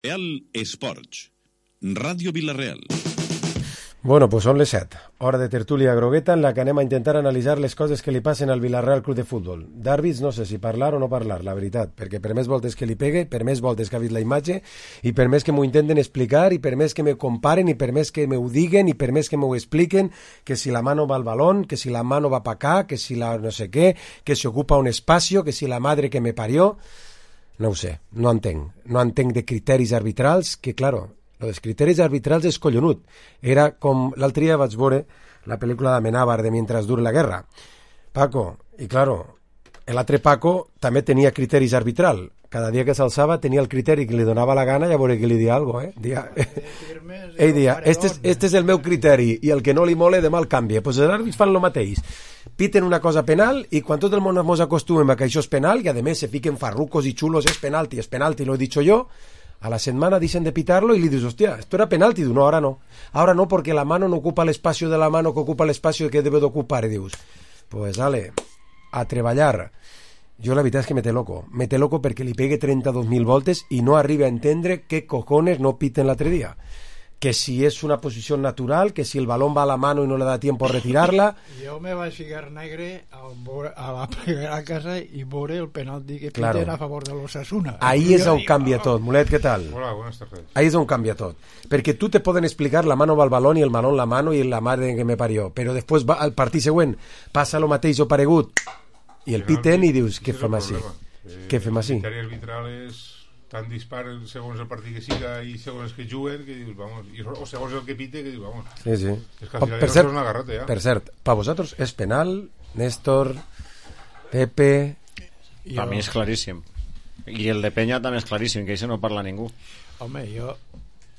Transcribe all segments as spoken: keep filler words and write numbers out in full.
Real Esports, Ràdio Vila-real. Bueno, pues són les set, hora de tertúlia grogueta en la que anem a intentar analitzar les coses que li passen al Vila-real Club de Futbol. D'àrbits no sé si parlar o no parlar, la veritat, perquè per més voltes que li pegue, per més voltes que ha vist la imatge, i per més que m'ho intenten explicar, i per més que me comparen, i per més que m'ho diguen, i per més que m'ho expliquen, que si la mano va al balón, que si la mano va pa acá, que si la no sé què, que si ocupa un espacio, que si la madre que me parió... No ho sé, no entenc. No entenc de criteris arbitrals, que, claro, els criteris arbitrals és collonut. Era com l'altre dia vaig veure la pel·lícula d'Amenábar de Mientras dure la guerra. Paco, i claro, l'altre Paco també tenia criteris arbitral. Cada dia que s'alçava tenia el criteri que li donava la gana i a veure que li dia alguna cosa, eh? Dia... Ell dia, este és, este és el meu criteri i el que no li mole demà el canvia. Doncs els àrbits fan el mateix. Piten una cosa penal i quan tot el món ens acostumem a que això és penal i a més se fiquen farrucos i xulos, és penalti, és penalti, lo he dicho yo, a la setmana dicen de pitarlo y le dices, hostia, esto era penalti, no, ahora no, ahora no porque la mano no ocupa el espacio de la mano que ocupa el espacio que debe de ocupar, y dius, pues dale, a treballar. Jo la veritat és que me té loco, me té loco perquè li pegue trenta-dos mil voltes i no arriba a entendre què cojones no piten l'altre dia. Que si és una posició natural, que si el balón va a la mano i no le da tiempo a retirarla. Jo me vaig ficar negre a la primera casa i veure el penalti que claro. piten a favor de l'Osasuna. Ahí és on canvia tot. Mulet, què tal? Hola, buenas tardes. Ahí és on canvia tot. Perquè tu te poden explicar la mano va al balón i el balón la mano i la madre que me parió, però després va al partit següent, passa lo mateix o paregut i el piten i dius, què fem així? Què fem així? El criteri arbitral és tan dispar segons el partit que siga i segons els que juguen que dius, vamos, i, o segons el que pite que dius, vamos. Sí, sí. És que al final per, ja cert, no és una garrota, ja. Per cert, per vosaltres és penal, Néstor, Pepe... Per mi és claríssim. I el de Penya també és claríssim, que això no parla ningú. Home, jo,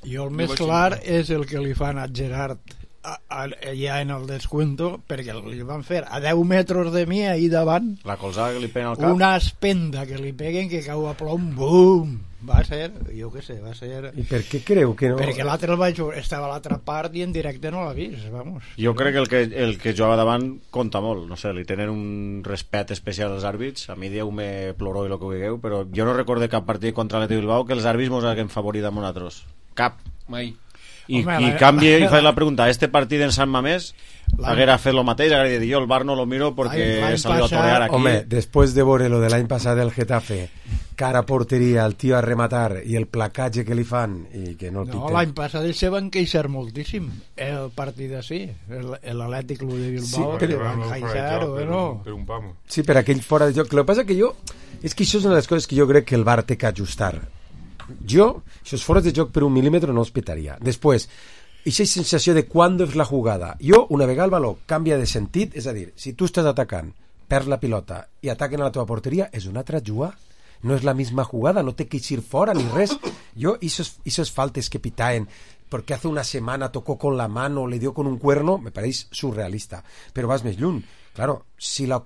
jo el més clar és el que li fan a Gerard a, a, ja en el descuento, perquè li van fer a deu metres de mi ahir davant la colzada que li peguen al cap, una espenda que li peguen que cau a plom, bum, va ser, jo què sé, va ser... I per què creu que no? Perquè l'altre el vaig, estava a l'altra part i en directe no l'ha vist, vamos. Jo crec que el que, el que jugava davant compta molt, no sé, li tenen un respecte especial als àrbits, a mi dieu-me ploró i el que vulgueu, però jo no recorde cap partit contra l'Atlètic Bilbao que els àrbits mos hagin favorit a nosaltres, cap, mai. I, Home, i la... canvia i fa la pregunta, este partit en Sant Mamés haguera fet el mateix, haguera dit jo el bar no lo miro perquè he salido a torear aquí. Home, després de veure lo de l'any passat del Getafe, cara a porteria, el tio a rematar i el placatge que li fan i que no el no, piten. L'any passat se van queixar moltíssim el partit així, l'Atlètic Club de Bilbao, sí, però... van queixar o no? Per un pamo. Sí, per aquell fora de joc. El que passa que jo, és que això és una de les coses que jo crec que el V A R té que ajustar. Jo, si els fores de joc per un mil·límetre no els pitaria. Després, aquesta sensació de quan és la jugada. Jo, una vegada el valor canvia de sentit, és a dir, si tu estàs atacant, perds la pilota i ataquen a la teva porteria, és una altra jugada. No és la misma jugada, no té que ir fora ni res. Jo, esos faltes que pitaen, porque hace una semana tocó con la mano, le dio con un cuerno, me pareix surrealista. Però vas més lluny. Claro, si, la,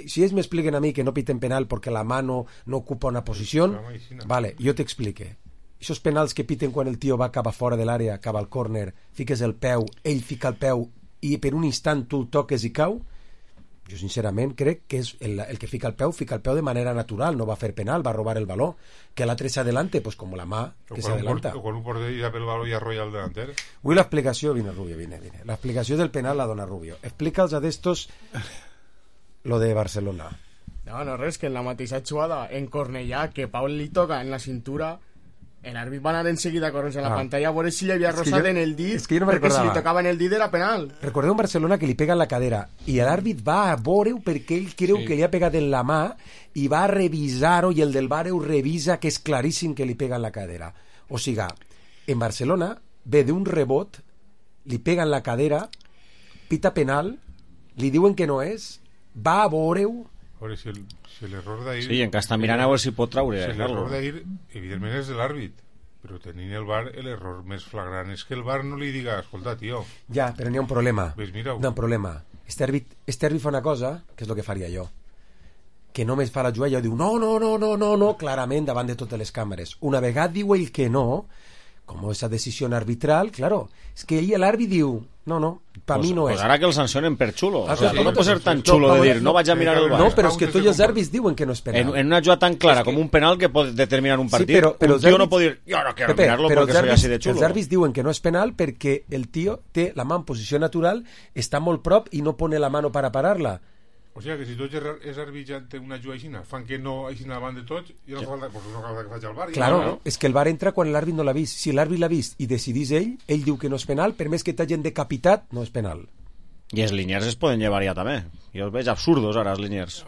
si ells m'expliquen a mi que no piten penal perquè la mano no ocupa una posició, vale, jo t'explique. Esos penals que piten quan el tio va cap a fora de l'àrea, cap al córner, fiques el peu, ell fica el peu i per un instant tu el toques i cau, jo sincerament crec que és el, el que fica el peu, fica el peu de manera natural, no va fer penal, va robar el baló, que l'altre s'adelante, pues como la mà que s'adelanta. O quan un porter ja pel baló i arrolla el delanter. Avui l'explicació, vine Rubio, vine, vine. L'explicació del penal la dona Rubio. Explica'ls a d'estos lo de Barcelona. No, no res, que en la mateixa jugada en Cornellà, que Pau li toca en la cintura, l'àrbit va anar enseguida a correr a la ah. pantalla a veure si li havia rosat jo, en el dit, que no perquè si li tocava en el dit era penal. Recordeu un Barcelona que li pega en la cadera i l'àrbit va a veure-ho perquè ell creu sí. que li ha pegat en la mà i va a revisar-ho i el del V A R ho revisa, que és claríssim que li pega en la cadera. O sigui, en Barcelona ve d'un rebot, li pega en la cadera, pita penal, li diuen que no és, va a veure-ho. A veure, si el, si l'error d'ahir... Sí, en que està mirant a veure si pot traure. Si l'error d'ahir, evidentment, és de l'àrbit, però tenint el V A R, l'error més flagrant és que el V A R no li diga, escolta, tio... Ja, però n'hi ha un problema. Ves, mira-ho. N'hi ha un problema. Este àrbit, este àrbit fa una cosa, que és el que faria jo, que només fa la jugada i jo diu, no, no, no, no, no, no, clarament davant de totes les càmeres. Una vegada diu ell que no, com esa decisió arbitral, claro, és que ell, l'àrbit diu, No, no, per pues, mi no pues és. ara que el sancionen per xulo. Ah, o sea, sí, no sí, pot ser sí, tan sí. xulo No, de no, dir, no vaig a mirar el bar. No, però és que Pauses tots de els compar- àrbits diuen que no és penal. En, en una jugada tan clara com un penal que pot determinar un partit, Sí, però, però un tio els no àrbits- pot dir, jo no quiero Pepe, mirarlo però porque els soy àrbits, así de els xulo. àrbits diuen que no és penal perquè el tio té la mà en posició natural, està molt prop i no pone la mano para pararla. O sigui que si tots és arbitjant una jugada aixina, fan que no aixina davant de tots, i no fa falta, pues no cal que faci el bar. Claro, no, no. és que el VAR entra quan l'àrbit no l'ha vist. Si l'àrbit l'ha vist i decidís ell, ell diu que no és penal, per més que t'hagin decapitat, no és penal. I els liniers es poden llevar ja també. Jo els veig absurdos ara, els liniers.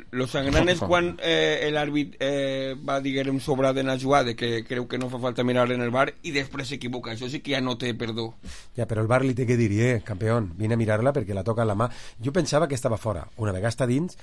Lo sagrant és quan eh, l'àrbit eh, va, diguem, sobrat en la jugada, que creu que no fa falta mirar en el bar i després s'equivoca. Això sí que ja no té perdó. Ja, però el VAR li té que dir, eh, campeón, vine a mirar-la perquè la toca en la mà. Jo pensava que estava fora. Una vegada està dins,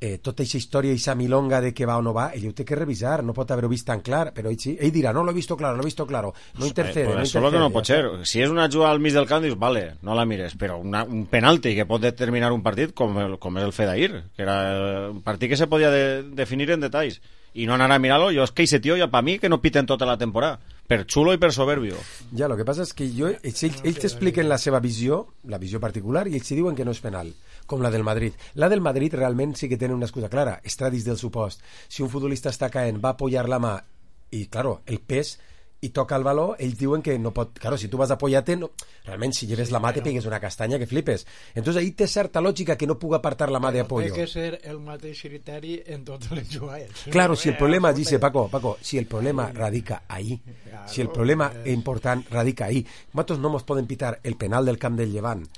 eh, tota aquesta història, aquesta milonga de que va o no va, ell ho té que revisar, no pot haver-ho vist tan clar, però ell sí, ell dirà, no l'he visto claro, no l'he visto claro, no intercede, Eh, no pues eso intercede. es lo que no pot ser. Si és una jugada al mig del camp, dius, vale, no la mires, però una, un penalti que pot determinar un partit com, el, com és el fet d'ahir, que era un partit que se podia de, definir en detalls, i no anar a mirar-lo, jo és que ese tio ja per mi que no piten tota la temporada, per xulo i per soberbio. Ja, lo que passa és que jo, ells, ells, ells t'expliquen la seva visió, la visió particular, i ells s'hi diuen que no és penal, com la del Madrid. La del Madrid realment sí que tenen una excusa clara, estradis del supost. Si un futbolista està caent, va apoyar la mà, i, claro, el pes, i toca el baló, ells diuen que no pot... Claro, si tu vas a apoyar-te, no... realment, si lleves la mà, te pegues una castanya que flipes. Entonces, ahí té certa lògica que no puga apartar la mà de apoyo. Té que ser el mateix criteri en totes les jugades. Claro, si el problema, dice Paco, Paco, si el problema radica ahí, si el problema important radica ahí, nosaltres no nos poden pitar el penal del camp del Llevant,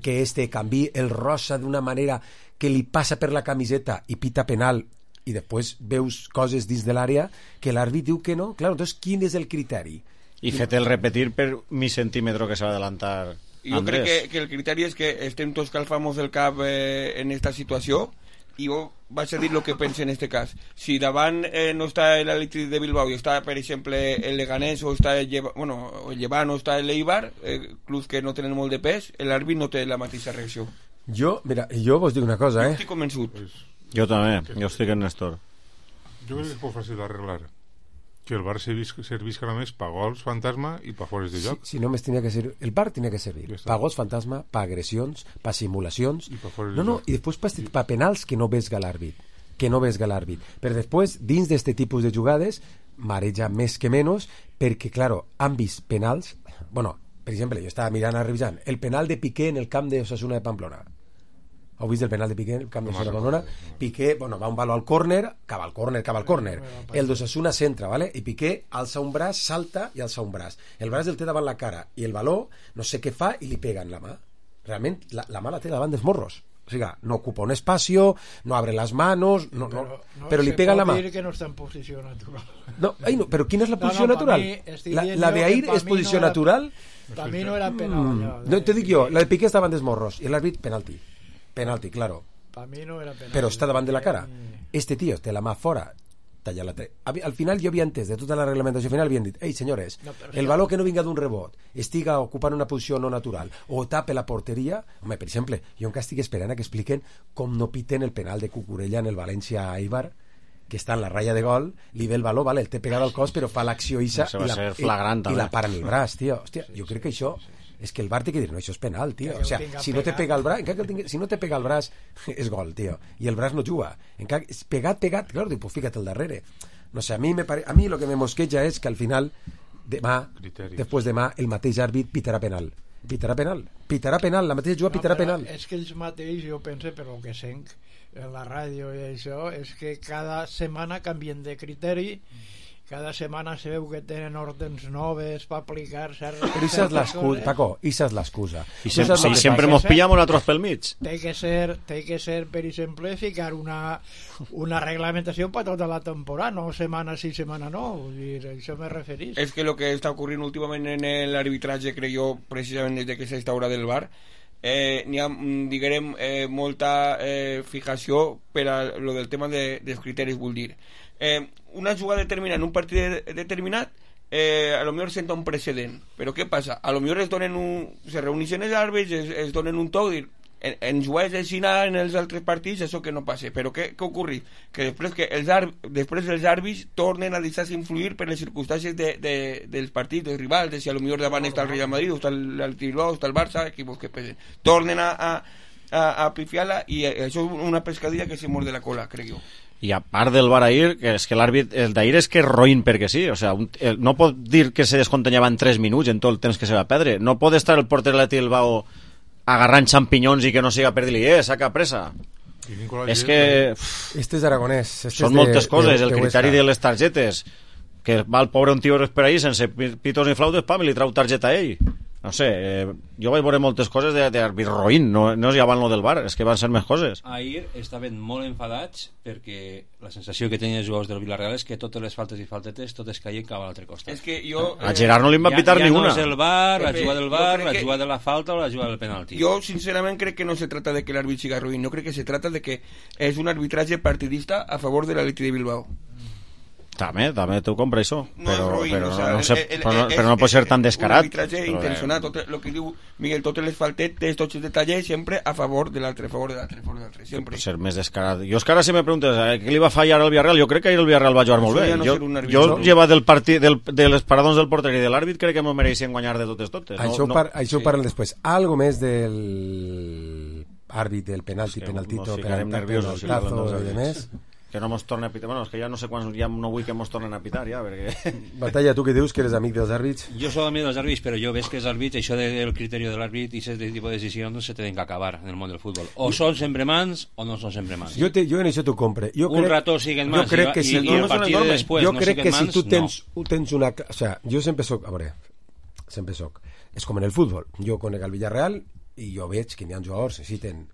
que este canvi el rosa d'una manera que li passa per la camiseta i pita penal, i després veus coses dins de l'àrea que l'àrbit diu que no. Claro, entonces, quin és el criteri? I fet el repetir per mi centímetro que se va adelantar Jo Andrés. crec que, que el criteri és que estem tots calfamos el cap eh, en esta situació i jo vaig a dir el que penso en este cas. Si davant eh, no està l'Atlètic de Bilbao i està, per exemple, el Leganés o està el, Lleva, bueno, el Llevant o està l'Eibar, eh, clubs que no tenen molt de pes, l'àrbit no té la mateixa reacció. Jo, mira, jo vos dic una cosa, Jo eh? estic convençut. Pues, Jo també, jo estic en Néstor. jo crec que és molt fàcil d'arreglar. Que el bar servisca, servisca només per gols fantasma i per fores de Si, joc. si només tenia que ser... El bar tenia que servir Ja està. pa gols fantasma, pa agressions, pa simulacions... I pa fora de No, no, joc. i després pa, pa penals que no vesga l'àrbit. Que no vesga l'àrbit. Però després, dins d'este tipus de jugades, mareja més que menys, perquè, claro, han vist penals... Bueno, per exemple, jo estava mirant, revisant, el penal de Piqué en el camp de Osasuna de Pamplona. Heu vist el penal de Piqué en el camp de Osasuna de Pamplona? Piqué, bueno, va un baló al córner, cava al córner, cava al córner. El d'Osasuna centra, ¿vale? I Piqué alça un braç, salta i alça un braç. El braç el té davant la cara i el baló no sé què fa i li pega en la mà. Realment, la, la mà la té davant dels morros. O sigui, no ocupa un espacio, no abre las manos, no, no, Però no però li se pega pot la mà. dir que no està en posició natural. No, ai, no, però quina és la No, posició no, pa natural? mi estic La, dient la jo de que Air pa és mi posició no era- natural? Per mi no era penal. allò de- No, te dic jo, la de Piqué està davant dels morros i l'àrbit penalti. Penalti, claro. Per mi no era penal. Però està davant de la cara. Este tío té la mà fora, talla la tre... Al final jo havia entès, de tota la reglamentació final havien dit, ei senyores, No, però el sí. baló que no vinga d'un rebot, estiga ocupant una posició no natural o tape la porteria, home, per exemple, jo encara estic esperant a que expliquen com no piten el penal de Cucurella en el València-Eibar, que està en la ratlla de gol, li ve el baló, vale, el té pegat al cos, però fa l'acció isa Això va i, la, ser flagrant, i, i també. la para en el braç, tio. Hòstia, jo crec que això... És que el VAR té que dir, no, això és penal, tio. Que O sea, el tinga si no te pegat. pega el braç, encara que el tingui, si no te pega el braç, és gol, tio. I el braç no juga. Encara, és pegat, pegat, claro, dic, pues fíjate el darrere. No sé, a mi, me pare... a mi lo que me mosqueja és que al final, demà, Criteris. després demà, el mateix àrbit pitarà penal. Pitarà penal. Pitarà penal, la mateixa jugada pitarà però penal. És que ells mateix, jo penso, per el que senc en la ràdio i això, és que cada setmana canvien de criteri, cada setmana se veu que tenen ordens noves per aplicar certes Però això és l'excusa, Paco, això és l'excusa. I Tu sem saps sí, lo que sempre passa? mos pillamos nosaltres pel mig. té que ser, té que ser per exemple, ficar una, una reglamentació per tota la temporada, no setmana sí, setmana no, vull dir, això me referís. És que el que està ocorrint últimament en l'arbitratge, crec jo, precisament des de que s'instaura del VAR, eh, n'hi ha, mm, diguem, eh, molta eh, fijació per a lo del tema de, dels criteris, vull dir. Eh, una jugada determinada en un partit de, determinat, eh, a lo millor senta un precedent, però què passa? A lo millor es donen un, se reuneixen els àrbits, es, es donen un toc, dir, en, en jugades així en els altres partits, això que no passa. Però què, què ocorre? Que després, que els ar, després els àrbits tornen a deixar-se influir per les circumstàncies de, de, dels partits, dels rivals, de si a lo millor davant està el Real Madrid, o està el Bilbao, o està el Barça, equipos que pesen. Tornen a, a, a, a pifiar-la, i això és una pescadilla que se mord de la cola, crec jo. I a part del VAR ahir, que és que l'àrbit, el d'ahir és que és roïn perquè sí, o sea, un, el, no pot dir que se descontanyava en tres minuts en tot el temps que se va perdre, no pot estar el porter de l'Atlètic Bilbao agarrant xampinyons i que no siga per dir-li, eh, saca pressa. És que... Este és aragonès. Este són és de, moltes coses, de, de el criteri de les targetes, que va el pobre un tio per ahir sense pitos ni flautes, pam, i li trau targeta a ell. No sé, eh, jo vaig veure moltes coses d'àrbit roïn, no, no és ja van lo del VAR, és que van ser més coses. Ahir estaven molt enfadats perquè la sensació que tenien els jugadors del Villarreal és que totes les faltes i faltetes totes caien cap a l'altre costat. És que jo... A Gerard no li van pitar ja, ja ni una. Ja no és el VAR, la Pepe, jugada del VAR, la que... jugada de la falta o la jugada del penalti. Jo, sincerament, crec que no se trata de que l'àrbit siga ruïn, no crec que se trata de que és un arbitratge partidista a favor de l'Atlètic de Bilbao. També, també t'ho compra això, No però, és ruïn, però, o sea, no, sé, el- el- però, no, és- però no pot ser tan descarat. Un arbitratge Però, intencionat, tot el que diu Miguel, totes les faltetes, tots els detalls, sempre a favor de l'altre, a favor de l'altre, a favor de l'altre, sempre. Pot ser més descarat. Jo és que ara si me preguntes eh, què li va fallar al Villarreal, jo crec que ahir el Villarreal va jugar molt Això bé. ja no jo, ser un arbit, jo no? llevat del partit, del, de les paradons del porter i de l'àrbit, crec que m'ho mereixien guanyar de totes totes. No, Això, no, par, això sí. ho parlen després. Algo més del àrbit, del penalti, Sí, penaltito, nos ficarem penaltazo, nerviosos si parlen dels i demés. que no mos torni a pitar. Bueno, és que ja no sé quants, ja no vull que mos tornen a pitar, ja, perquè... Batalla, tu que dius que eres amic dels àrbits? Jo soy amigo dels àrbits, però jo ves que els àrbits, això del criteri de l'àrbit i aquest tipus de decisions no se tenen que acabar en el món del futbol. O són sempre mans o no són sempre mans. Jo, te, jo en això t'ho compre. Jo Un crec, rato siguen jo mans crec i, que i, si, i el no, partit de després jo no crec siguen que si mans, tu tens, no. tens una... O sea, jo sempre soc... A veure, sempre soc... És com en el futbol. Jo conec el Villarreal i jo veig que n'hi ha jugadors que necessiten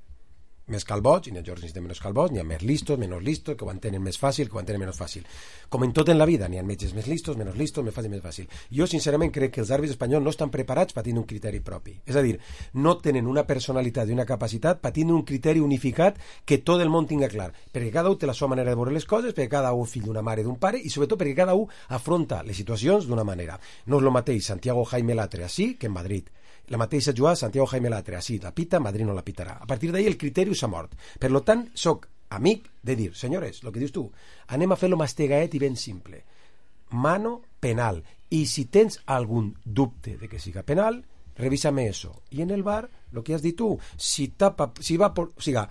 més calbots, i n'hi ha jugadors que necessiten menys calbots, n'hi ha més listos, menys listos, que ho entenen més fàcil, que ho entenen menys fàcil. Com en tot en la vida, n'hi ha metges més listos, menys listos, més fàcil, més fàcil. Jo, sincerament, crec que els àrbits espanyols no estan preparats per tenir un criteri propi. És a dir, no tenen una personalitat i una capacitat per tenir un criteri unificat que tot el món tinga clar. Perquè cada un té la seva manera de veure les coses, perquè cada un és fill d'una mare i d'un pare, i sobretot perquè cada un afronta les situacions d'una manera. No és el mateix Santiago Jaime Latre així que en Madrid. La mateixa jugada Santiago Jaime Latre, així la pita, Madrid no la pitarà. A partir d'ahir el criteri s'ha mort. Per lo tant, soc amic de dir, senyores, el que dius tu, anem a fer-lo mastegaet i ben simple. Mano penal. I si tens algun dubte de que siga penal, revísame eso. I en el VAR, lo que has dit tu, si tapa, si va por, o siga,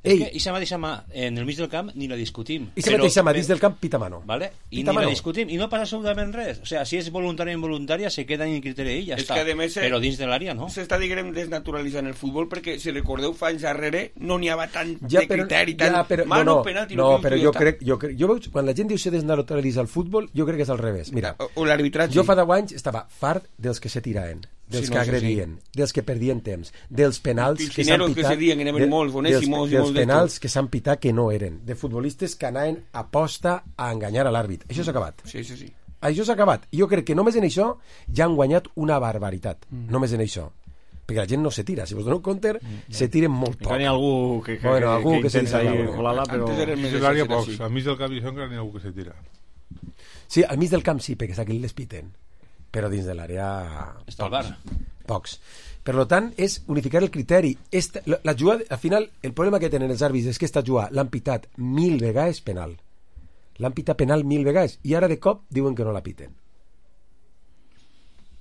És ei, que aquesta mateixa mà en el mig del camp ni la discutim. i se mateixa mà dins del camp, pita mano. Vale? I Pita ni mano. la discutim i no passa absolutament res. O sea, si és voluntària o involuntària se queda en el criteri i ja És està. que, a més, Però dins de l'àrea no. S'està, diguem, desnaturalitzant el futbol perquè, si recordeu, fa anys darrere no n'hi havia tant Ja, de però, criteri, tant ja, però, mano, no, no, penalti, no, que però dius jo tu, crec, jo crec, jo veig, quan la gent diu se desnaturalitza el futbol, jo crec que és al revés. Mira, O, o l'arbitratge. jo fa deu anys estava fart dels que se tiraven, dels Sí, que no, sí, agredien, dels que perdien temps, dels penals que s'han Piscineros que pitat, se dien, que n'hi havia molts, boníssimos i dels, molts dels penals d'estos. que s'han pitat que no eren, de futbolistes que anaven a posta a enganyar a l'àrbit. Això s'ha acabat. Sí, sí, sí. Això s'ha acabat. I jo crec que només en això ja han guanyat una barbaritat. Mm. Només en això. Perquè la gent no se tira. Si vos doneu compte, mm. se tiren molt poc. Encara n'hi ha algú que, que, Bueno, que, algú que, que se intenta tira ahí alguna. colar-la, però... Antes eren Dins més de l'àrea exagerats, pocs, sí. al mig del camp i això encara n'hi ha algú que se tira. Sí, al mig del camp sí, perquè aquí les piten. Però dins de l'àrea... Està al bar. Pocs. Per tant, és unificar el criteri. Esta, la, la jugada, al final, el problema que tenen els àrbits és que esta jugada l'han pitat mil vegades penal. L'han pitat penal mil vegades i ara de cop diuen que no la piten.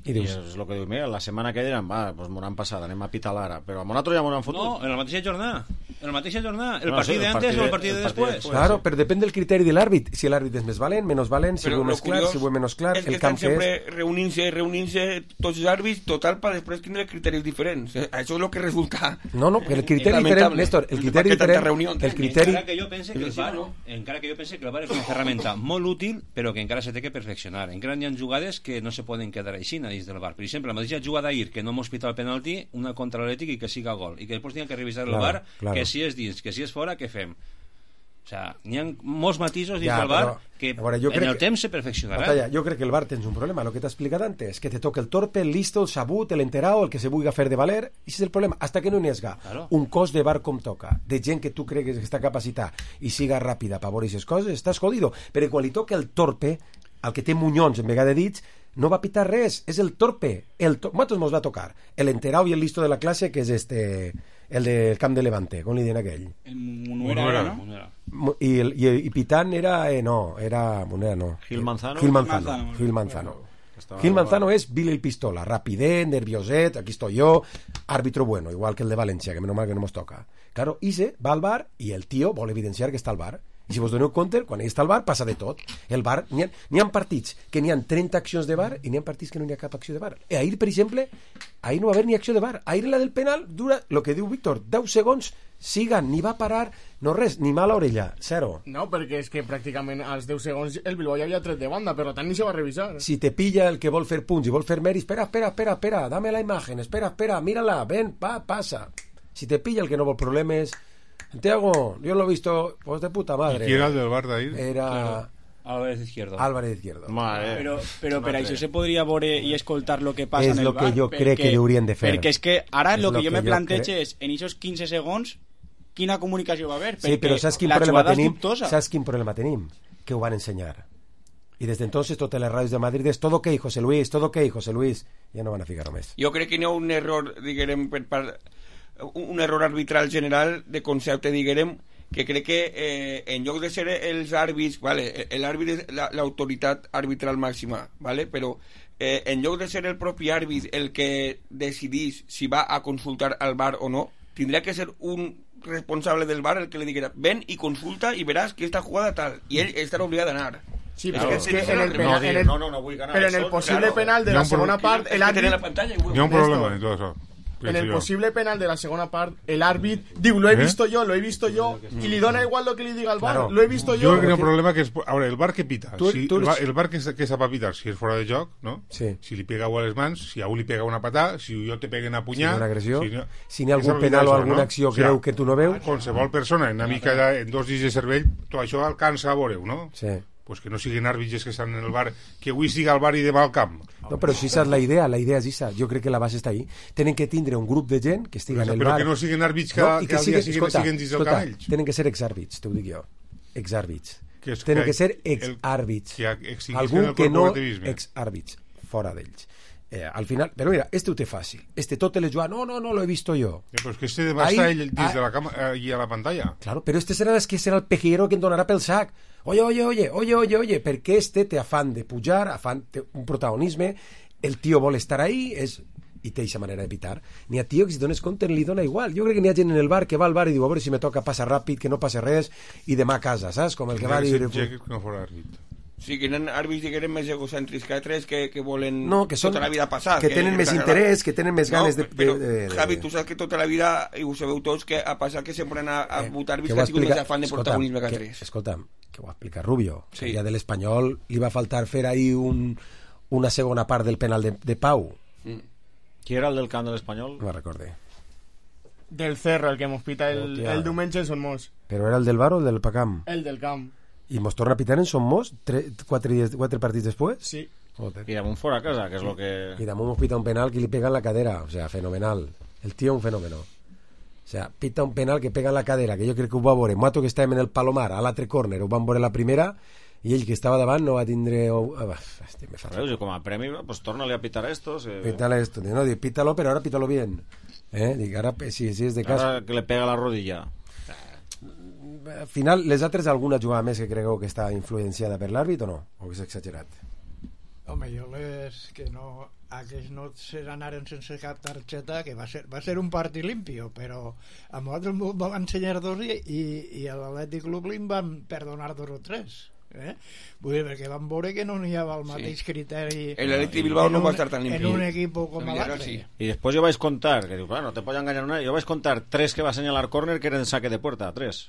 I I dius... és el que diu, mira, la setmana que diran, va, doncs m'ho han passat, anem a pitar l'ara. Però a nosaltres ja m'ho han fotut. No, en la mateixa jornada. En la mateixa jornada. El No, sí, partit el d'antes partit o el de- partit de el partit després. després. Claro, però depèn del criteri de l'àrbit. Si l'àrbit és més valent, menys valent, si Però ho és lo més clar, curiós si ho és menys clar, és que el estan camp que sempre és... reunint-se, reunint-se tots els àrbits, total, per després tindre criteris diferents. Eh, Això és el que resulta... No, no, el criteri lamentable. diferent, Néstor, el Per criteri què tanta diferent, reunió? el criteri... Encara que jo pense que el Sí, VAR, no? encara que jo pense que el VAR és una ferramenta molt útil, però que encara se té que perfeccionar. Encara hi ha jugades que no se poden quedar així dins del VAR. Per exemple, la mateixa jugada d'ahir, que no mos pita el penalti, una contra l'Atlètic i que siga gol. I que després tinguem que revisar el Claro, VAR, claro. que si és dins, que si és fora, què fem? O sea, n'hi ha molts matisos dins Ja, del VAR però, que a veure, jo en crec el que- temps se perfeccionarà. Batalla, jo crec que el VAR tens un problema, el que t'he explicat antes, que te toca el torpe, el listo, el sabut, el enterado, el que se vulga fer de valer, i és el problema, hasta que no n'hi hagi Claro. un cos de VAR com toca, de gent que tu cregues que està capacitat i siga ràpida per veure aquestes coses, estàs jodido, però quan li toca el torpe, el que té munyons en vegada de dits, no va pitar res, és el torpe, el to... Nosaltres mos va tocar el enterado i el listo de la classe, que és este el del camp de Levante, com li diuen aquell? El Munuera, ¿no? Munera. I, el, i, i Pitán era... Eh, no, era... Munera no. Gil Manzano. Gil Manzano. Manzano. Gil Manzano. Estaba Gil Manzano es Billy el Pistola, rapidez, nervioset, aquí estoy yo, árbitro bueno, igual que el de Valencia, que menos mal que no nos toca. Claro, Ise va al bar i el tio vol evidenciar que està al bar. I si vos doneu compte, quan ell està al bar passa de tot. El bar, n'hi ha, n'hi ha partits que n'hi ha trenta accions de bar i n'hi ha partits que no n'hi ha cap acció de bar. I ahir, per exemple, ahir no va haver ni acció de bar. Ahir la del penal dura, el que diu Víctor, deu segons, sigan, ni va parar, no res, ni mala orella, zero. No, perquè és que pràcticament als deu segons el Bilbao ja havia tret de banda, per tant ni se va revisar. Si te pilla el que vol fer punts i vol fer mèrit, espera, espera, espera, espera, dame la imagen, espera, espera, mírala, ven, va, pasa. Si te pilla el que no vol problemes, Santiago, yo lo he visto, pues de puta madre. ¿Y quién era el del bar de ahí? Era Claro. Álvarez Izquierdo. Álvarez Izquierdo. Mare. Però, però per això se podria veure i escoltar lo que passa És en el lo que bar. jo crec que haurien de fer. Perquè és que ara És lo lo que jo que me jo plantejo crec. és, en esos quinze segons, quina comunicació va haver? Sí, però saps quin la problema jugada és tenim? dubtosa. Saps quin problema tenim? Que ho van ensenyar. Y desde entonces totes les ràdios de Madrid és todo ok, José Luis, todo ok, José Luis. Ja no van a ficar més. Jo crec que hi ha un error, diguem, per part, un error arbitral general de concepte, diguem, que crec que eh, en lloc de ser els àrbits, vale, l'àrbit és la- l'autoritat arbitral màxima, vale, però eh, en lloc de ser el propi àrbit el que decidís si va a consultar al bar o no, tindria que ser un responsable del bar el que le diguera ven y consulta y verás que esta jugada tal, y ell estarà obligat d'anar. Sí, Claro, però és que sí, en el, sí, penal, no, en el, no, no, no vull ganar. però en el Eso, possible claro. penal de Hi ha la un pro- segona part, el El tener la àrbit... pantalla y Hi ha un problema en todo eso. En pienso el yo. posible penal de la segunda parte, el árbitro, digo, lo he ¿Eh? visto yo, lo he visto yo, y le da igual lo que le diga al bar, Claro. lo he visto Yo yo. creo que hay un problema que es... Ahora, el bar que pita. Tú- si tú el, eres- bar, el bar que, se- que sepa pitar, si es fuera de joc, ¿no? Sí. Si le pega a les mans, si a un li pega una patada, si yo te peguen a Si punyar... hi ha una agressió, si no, si n'hi ha és algun penal o això, alguna no? acció O sigui, greu que tu no veus, qualsevol persona, en una mica de, en dos dits de cervell, tot això alcança a veure-ho, no? sí. Pues que no siguin àrbitros que estan en el bar, que avui siga al bar i demà al camp. No, però si esa és la idea, la idea és esa. Jo crec que la base està ahí. Tenen que tindre un grup de gent que estigui en el Però bar. que no siguin àrbits que, No, i que, al dia siguen- siguin, escolta, siguen dins del escolta, camp ells. tenen que ser exàrbits, t'ho dic jo. Exàrbits. Que és Tenen que- que ser el- exàrbits. que extinguisquen Algun el que no corporativisme. exàrbits, fora d'ells. Eh, al final, però mira, este ho té fàcil. Este tot le juga, no, no, no, lo he visto yo. Eh, Però és que este demà Ahí- està ell dins ah- de la cama eh, i a la pantalla. Claro, pero este será es que será el pejero que em donarà pel sac. Oye, oye, oye, oye, oye, oye, perquè este té afán de pujar, afán té un protagonisme, el tio vol estar ahí, és i té aquesta manera de pitar. N'hi ha tio que si dones compte li dona igual. Jo crec que n'hi ha gent en el bar que va al bar i diu a veure si me toca passar ràpid, que no passe res, i demà a casa, saps? Com el que va dir... Que no fora àrbit. Sí, que eren àrbits, diguem, més egocèntrics que altres que, que volen No, que són... tota la vida passar. Que tenen més interès, que tenen més ganes no, de... però, de, de, de... Javi, tu saps que tota la vida, i ho sabeu tots, que ha passat que sempre han a, a Eh, votar àrbits que que ho ha sigut explica- més afán de escolta'm, protagonisme que que- altres. Escolta'm, que ho explica Rubio. Sí. El dia de l'Espanyol li va faltar fer ahí un, una segona part del penal de, de Pau. Mm. Qui era el del camp de l'Espanyol? No me'n recorde. Del Cerro, el que mos pita el, Hòstia. el diumenge en Son Mos. Però era el del bar o el del Pacam? El del camp. I mos torna a pitar en Son Mos tre, quatre, dies, quatre partits després? Sí. Joder. I damunt fora a casa, que és el que... Y damunt mos pita un penal que li pega en la cadera. O sea, fenomenal. El tío un fenómeno. O sea, pita un penal que pega en la cadera, que jo crec que ho va veure. Mato que estàvem en el Palomar, a l'altre córner, ho van veure la primera, i ell que estava davant no va tindre... Oh, ah, hòstia, me fa... Veus, i com a premi, pues torna-li a pitar a estos. Eh, Pítale esto. No, dic, pítalo, pero ahora pítalo bien. Eh? Dic, ara, si, si és de cas... Ara que le pega la rodilla. Al final, les altres, alguna jugada més que cregueu que està influenciada per l'àrbit o no? O és exagerat? Home, jo les que no... Aquells no se n'anaren sense cap targeta, que va ser, va ser un partit limpio, però a nosaltres ens van ensenyar dos i, i, i a l'Atlètic Club li van perdonar dos o tres. Eh? Vull dir, perquè van veure que no n'hi havia el mateix sí. criteri El Atlètic Bilbao en no un- va estar tan limpio. en un equip com En a Villarreal, l'altre. sí. I després jo vaig contar, que diu, claro, no te pots enganyar una, jo vaig contar tres que va assenyalar córner que eren saque de puerta, tres.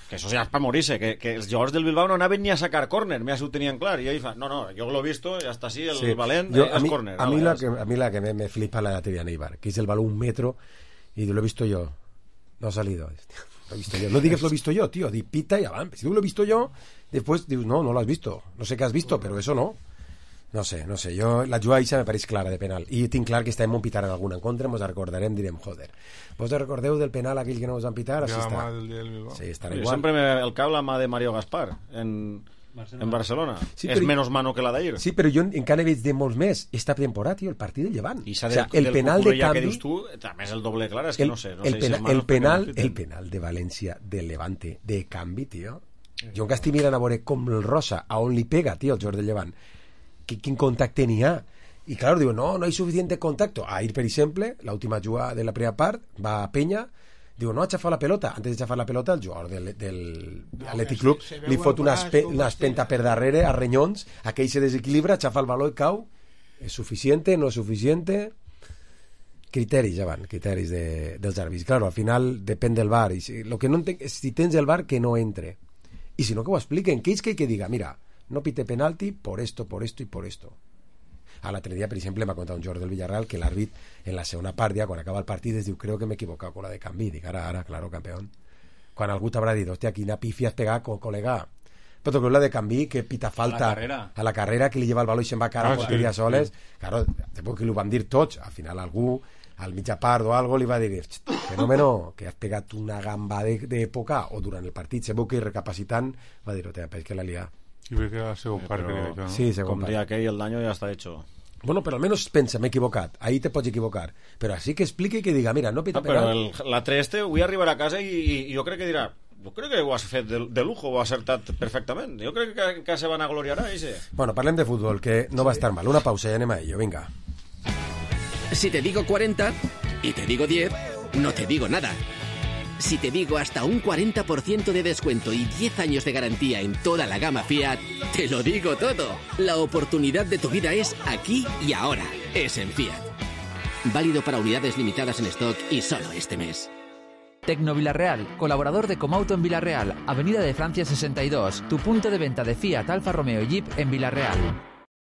Que eso ya es para morirse, que, que els jugadors del Bilbao no anaven ni a sacar córner, mira si ho tenien clar, i ell fa, no, no, jo lo he visto, ja està així, el Sí. valent, Yo, eh, a, és mí, córner. a, mí vale, la és- que, a mí la que me, me flipa la de Neibar, que es el balón un metro y lo he visto yo. No ha salido. Lo he visto yo. No digas lo he visto yo, tío. Di pita y avanza. Si tú lo he visto yo, después dius, no, no lo has visto. No sé qué has visto, pero eso no. No sé, no sé. Jo, la jugada Isa me pareix clara de penal. I tinc clar que estem un pitar en alguna en contra, mos recordarem, direm, joder. Vos recordeu del penal aquell que no us van pitar? Així Ja la està. mà del dia del Bilbao. Sí, estarà Jo igual. sempre me el cau la mà de Mario Gaspar en, Barcelona. En Barcelona. Sí, és però... menys mano que la d'ahir. Sí, però jo encara veig de molts més esta temporada, tio, el partit del Llevant. I s'ha o sea, del, el del penal de canvi... que dius tu, també és el doble clar, és que el, no sé. No el, sé pena, si el, penal, el penal de València del Levante de canvi, tio. Jo encara estic mirant a veure com el Rosa, a on li pega, tio, el jugador del Llevant. Qu quin contacte n'hi ha? Y claro, digo, no, no hay suficiente contacto. A ir, por ejemplo, la última jugada de la primera part, va a Peña, digo, no ha chafado la pelota. Antes de chafar la pelota, el jugador del, del no, Athletic Club se, se li fot una, espe, una espenta per darrere a Renyons, aquell se desequilibra, xafa el baló i cau. És suficiente, no és suficiente? Criteris, ja van, criteris de, dels àrbits. Claro, al final depèn del V A R. I si, lo que no entenc és si tens el V A R que no entre. I si no, que ho expliquen. Que és que hay que diga, mira, no pite penalti por esto, por esto y por esto. A l'altre dia, per exemple, m'ha contat un jugador del Villarreal que l'àrbit en la segona part, ja, quan acaba el partit, es diu, creo que m'he equivocat con la de canvi. Dic, ara, ara, claro, campeón. Quan algú t'haurà dit, hòstia, quina pifia has pegat, col·lega. Però que la de canvi, que pita falta a la, a la carrera, que li lleva el baló i se'n va a cara a ah, porteria sí, soles. Sí. Claro, que li ho van dir tots. Al final algú, al mitja part o algo, li va dir, fenómeno, que has pegat una gamba d'època, o durant el partit, se veu que recapacitant, va dir, hòstia, és que la lia. I ve que la segon part, crec, no? Sí, segon Com part. dia aquell, el daño ja està hecho. Bueno, pero al menos pensa, m'he equivocat. Ahí te pots equivocar. Pero así que explique y que diga, mira, no pita ah, però penal. el, l'altre este vull arribar a casa i, i jo crec que dirà, jo crec que ho has fet de, de lujo, ho has acertat perfectament. Jo crec que, que se van a gloriar a ese. Bueno, parlem de fútbol, que no sí. va a estar mal. Una pausa y anem a ello, venga. Si te digo cuarenta y te digo diez, no te digo nada. Si te digo hasta un cuarenta por ciento de descuento y diez años de garantía en toda la gama Fiat, te lo digo todo. La oportunidad de tu vida es aquí y ahora. Es en Fiat. Válido para unidades limitadas en stock y solo este mes. Tecno Villarreal, colaborador de Comauto en Villarreal, Avenida de Francia sesenta y dos, tu punto de venta de Fiat, Alfa Romeo y Jeep en Villarreal.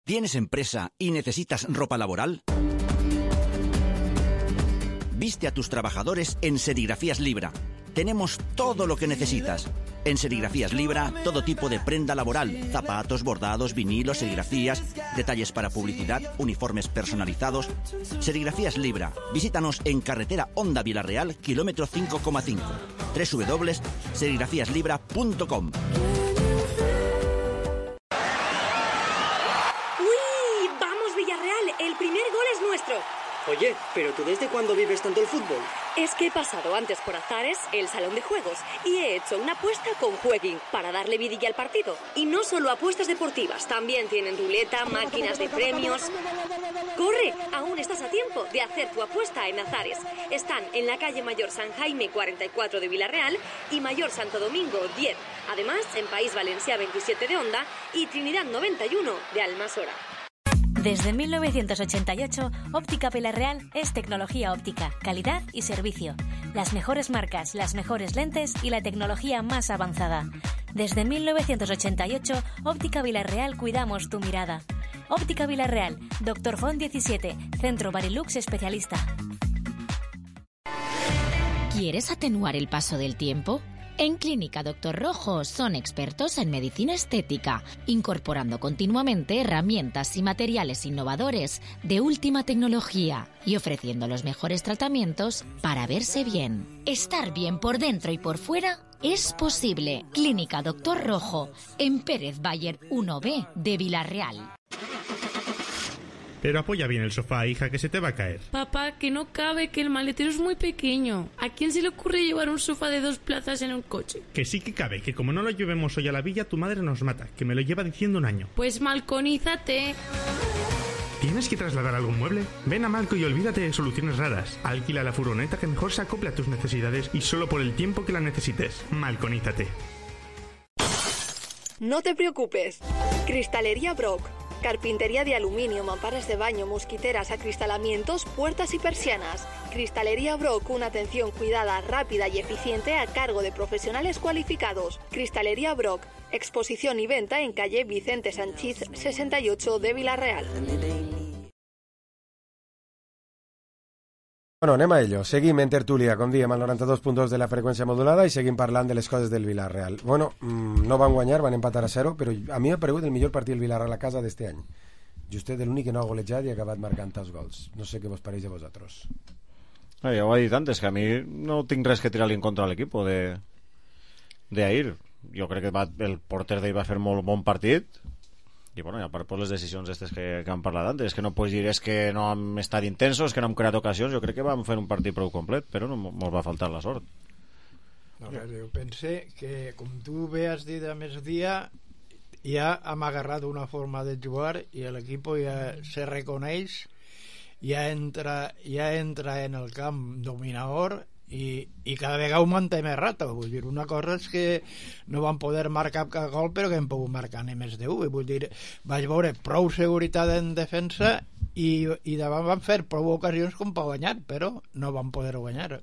¿Tienes empresa y necesitas ropa laboral? Viste a tus trabajadores en Serigrafías Libra. Tenemos todo lo que necesitas. En Serigrafías Libra, todo tipo de prenda laboral, zapatos, bordados, vinilos, serigrafías, detalles para publicidad, uniformes personalizados. Serigrafías Libra. Visítanos en carretera Honda Villarreal, kilómetro cinco coma cinco. doble u doble u doble u punto serigrafías libra punto com. ¡Uy! ¡Vamos, Villarreal! El primer gol es nuestro. Oye, ¿pero tú desde cuándo vives tanto el fútbol? Es que he pasado antes por Azares, el salón de juegos, y he hecho una apuesta con Jueguin para darle vidilla al partido. Y no solo apuestas deportivas, también tienen ruleta, máquinas de premios. ¡Corre! Aún estás a tiempo de hacer tu apuesta en Azares. Están en la calle Mayor San Jaime cuarenta y cuatro de Villarreal y Mayor Santo Domingo diez. Además, en País Valencia veintisiete de Honda y Trinidad noventa y uno de Almasora. Desde mil novecientos ochenta y ocho, Óptica Villarreal es tecnología óptica, calidad y servicio. Las mejores marcas, las mejores lentes y la tecnología más avanzada. Desde mil novecientos ochenta y ocho, Óptica Villarreal cuidamos tu mirada. Óptica Villarreal, Doctor Font diecisiete, Centro Barilux especialista. ¿Quieres atenuar el paso del tiempo? En Clínica Doctor Rojo son expertos en medicina estética, incorporando continuamente herramientas y materiales innovadores de última tecnología y ofreciendo los mejores tratamientos para verse bien. Estar bien por dentro y por fuera es posible. Clínica Doctor Rojo, en Pérez Bayer uno B de Villarreal. Pero apoya bien el sofá, hija, que se te va a caer. Papá, que no cabe, que el maletero es muy pequeño. ¿A quién se le ocurre llevar un sofá de dos plazas en un coche? Que sí que cabe, que como no lo llevemos hoy a la villa, tu madre nos mata, que me lo lleva diciendo un año. Pues malconízate. ¿Tienes que trasladar algún mueble? Ven a Malco y olvídate de soluciones raras. Alquila la furgoneta que mejor se acople a tus necesidades y solo por el tiempo que la necesites. Malconízate. No te preocupes. Cristalería Brock. Carpintería de aluminio, mamparas de baño, mosquiteras, acristalamientos, puertas y persianas. Cristalería Brock, una atención cuidada, rápida y eficiente a cargo de profesionales cualificados. Cristalería Brock, exposición y venta en calle Vicente Sanchís sesenta y ocho de Villarreal. Bueno, anem a ello. Seguim en tertúlia, com diem, al noranta-dos punt dos de la freqüència modulada i seguim parlant de les coses del Villarreal. Bueno, mmm, no van guanyar, van empatar a zero, però a mi m'ha paregut el millor partit del Villarreal a casa d'este any. Justet l'únic que no ha golejat i ha acabat marcant els gols. No sé què vos pareix a vosaltres. Ah, ja ho he dit antes, que a mi no tinc res que tirar-li en contra a l'equip de d'ahir. jo crec que va, el porter d'ell va fer molt bon partit, i bueno, i a part per les decisions aquestes que, que hem parlat antes, és que no pots dir és que no hem estat intensos, que no hem creat ocasions. Jo crec que vam fer un partit prou complet, però no ens va faltar la sort. No, jo pense que, com tu bé has dit a més dia, ja hem agarrat una forma de jugar i l'equip ja se reconeix, ja entra, ja entra en el camp dominador i, i cada vegada ho manté més rato. Vull dir, una cosa és que no van poder marcar cap gol, però que hem pogut marcar ni més de u. Vull dir, vaig veure prou seguretat en defensa i, i davant van fer prou ocasions com per guanyar, però no van poder guanyar.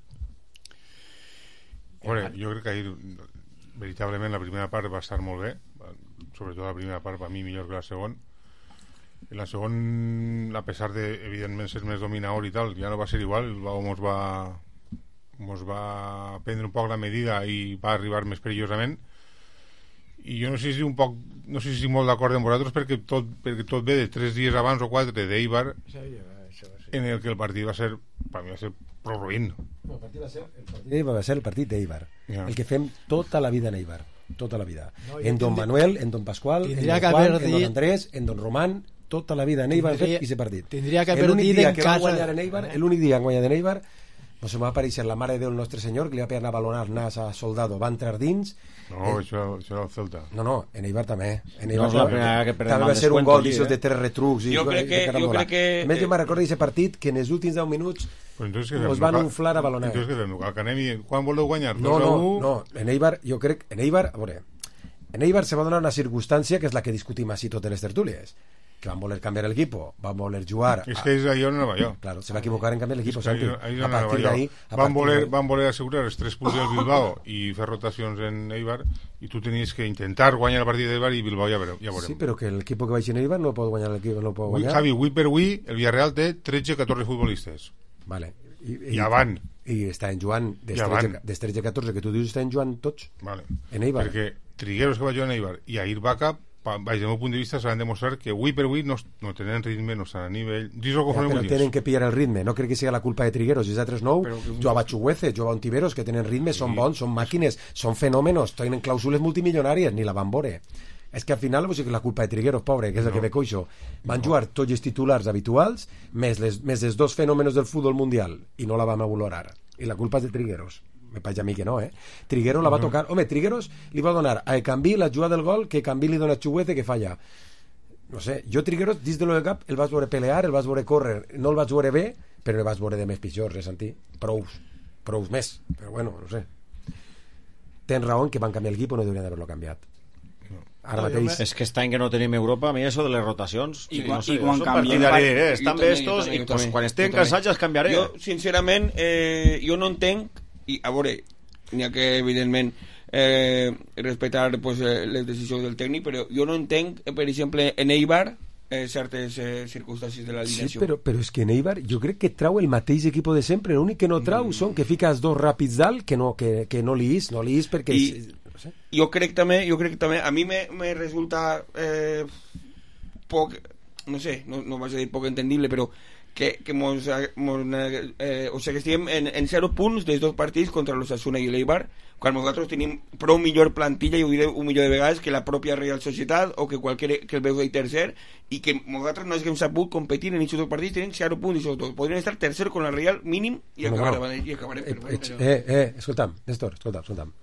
Bueno, jo crec que ahir veritablement la primera part va estar molt bé, sobretot la primera part per mi millor que la segona. En la segona, a pesar de evidentment ser més dominador i tal, ja no va ser igual. El Bilbao mos va mos va prendre un poc la medida i va arribar més perillosament, i jo no sé si un poc no sé si estic molt d'acord amb vosaltres, perquè tot, perquè tot ve de tres dies abans o quatre d'Eibar, en el que el partit va ser, per mi va ser prou ruïn. No, el partit va ser el partit va ser el partit d'Eibar, ja. El que fem tota la vida en Eibar, tota la vida, no, en Don Manuel, en Don Pasqual, en Don Juan, en Don Andrés, en Don Román, tota la vida en Eibar hem fet i s'ha partit. Tindria que haver dit en casa en Eibar, l'únic dia que han guanyat en Eibar, no se m'ha apareixer la mare de Déu el nostre senyor, que li va pegar a balonar nas a Soldado, va entrar dins. No, eh, això, això era el Celta. No, no, en Eibar també. En Eibar no és la primera que perdem també va ser un gol d'aixòs de tres retrucs. Jo crec que... Jo crec que a més, jo me'n recordo d'aquest partit que en els últims deu minuts us van unflar a balonar. Entonces, que fem? Que anem i... Quan voleu guanyar? No, no, no. En Eibar, jo crec... En Eibar, a veure, en Eibar se va donar una circumstància que és la que discutim així totes les tertúlies, que van voler canviar el equipo, van voler jugar... Es que es ahí on anava jo. Claro, se va equivocar en canviar el equipo, es que Santi. Ahí, ahí a partir d'ahí... Van, voler, van voler assegurar els tres punts del Bilbao i fer rotacions en Eibar, i tu tenies que intentar guanyar el partit d'Eibar i Bilbao ja veurem. Ja veurem. Sí, però que l'equip que vagi en Eibar no pot guanyar l'equip, no pot guanyar. Javi, avui per avui el Villarreal té tretze catorze futbolistes. Vale. I, i, I van. I està en Joan des tretze catorze que tu dius està en Joan tots. Vale. En Eibar. Perquè Trigueros que va jugar en Eibar i Ahir Baca, baix del meu punt de vista, s'han demostrat que avui per avui no, no tenen ritme, no estan a nivell. Dis el que ja, però tenen que pillar el ritme, no crec que sigui la culpa de Trigueros i els altres nou. Jugava Chuguece, jugava Ontiveros, que tenen ritme, són bons, són màquines, són fenòmenos, tenen clàusules multimilionàries, ni la van veure. És que al final no és la culpa de Trigueros, pobre, que és el no. que ve coixo. Van no. jugar tots els titulars habituals, més, les, més els dos fenòmenos del futbol mundial, i no la vam valorar. I la culpa és de Trigueros. Me pareix a mi que no, eh? Trigueros la va tocar... Home, Trigueros li va donar a Ekambi la jugada del gol que Ekambi li dona a Chuguece que falla. No sé, jo Trigueros, dins de lo de cap, el vas veure pelear, el vas veure córrer, no el vas veure bé, però el vas veure de més pitjors, eh, Santi? Prous, prous més, però bueno, no sé. Tens raó en que van canviar el equip o no deurien d'haver-lo canviat. Ara mateix... És que està en que no tenim Europa, a mi això de les rotacions... I, no sé, i quan canvien... Eh? Estan bé estos i pues, quan estén cansats ja els canviaré. Jo, sincerament, eh, jo no entenc, i a veure, n'hi ha que, evidentment, eh, respectar pues, les decisions del tècnic, però jo no entenc, per exemple, en Eibar, eh, certes eh, circumstàncies de l'alineació. Sí, però, però és que en Eibar jo crec que trau el mateix equip de sempre, l'únic que no trau mm. són que fiques dos ràpids dalt que no, que, que no li és, no li és perquè... I, no sé. Jo crec també, jo crec també, a mi me, me resulta eh, poc, no sé, no, no vaig a dir poc entendible, però que, que mos, mos, eh, o sigui que estiguem en, en zero punts dels dos partits contra l'Osasuna i l'Eibar, quan nosaltres tenim prou millor plantilla, i ho diré un milió de vegades, que la pròpia Real Societat o que qualsevol que el veu de tercer, i que nosaltres no haguem sabut competir en aquests dos partits, tenen zero punts i dos. Podrien estar tercer con la Real mínim i acabarem. No, no. I acabarem eh, però, però... eh, eh, escolta'm, Néstor, escolta'm, escolta'm.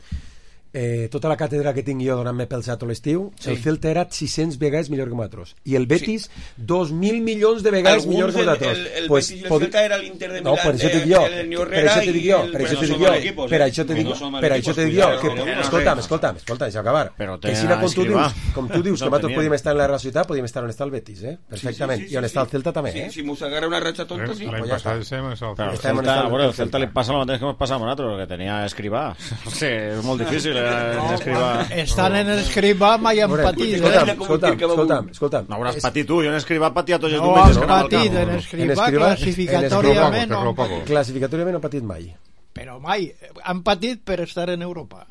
Eh, tota la càtedra que tinc jo donant-me pel xat l'estiu, sí. El Celta era sis-cents vegades millor que nosaltres i el Betis sí. dos mil milions de vegades alguns millor que nosaltres. El, el, el pues, Betis i el pod... Celta era l'Inter de Milán, no, per això te dic jo, per això te dic jo, per això te dic jo, per això te dic jo, per això te dic jo, escolta'm, escolta'm, escolta'm, deixa acabar. Que si com tu dius, com tu dius que nosaltres podíem estar en la Real Societat, podíem estar on està el Betis, eh? Perfectament, i on està el Celta també, eh? Si mos agarra una ratxa tonta, sí. L'any passat estem en el Celta. El Celta li passa el mateix que ens passa a nosaltres, que tenia Escrivà. No sé, és molt difícil escriure. Estan en Escrivà mai han patit, escolta'm, escolta'm, escolta'm, escolta'm. No hauràs patit tu, jo en Escrivà patia tots els no diumenges. No has patit en Escrivà, classificatòriament no han patit. Classificatòriament no han patit mai. Però mai, han patit per estar en Europa.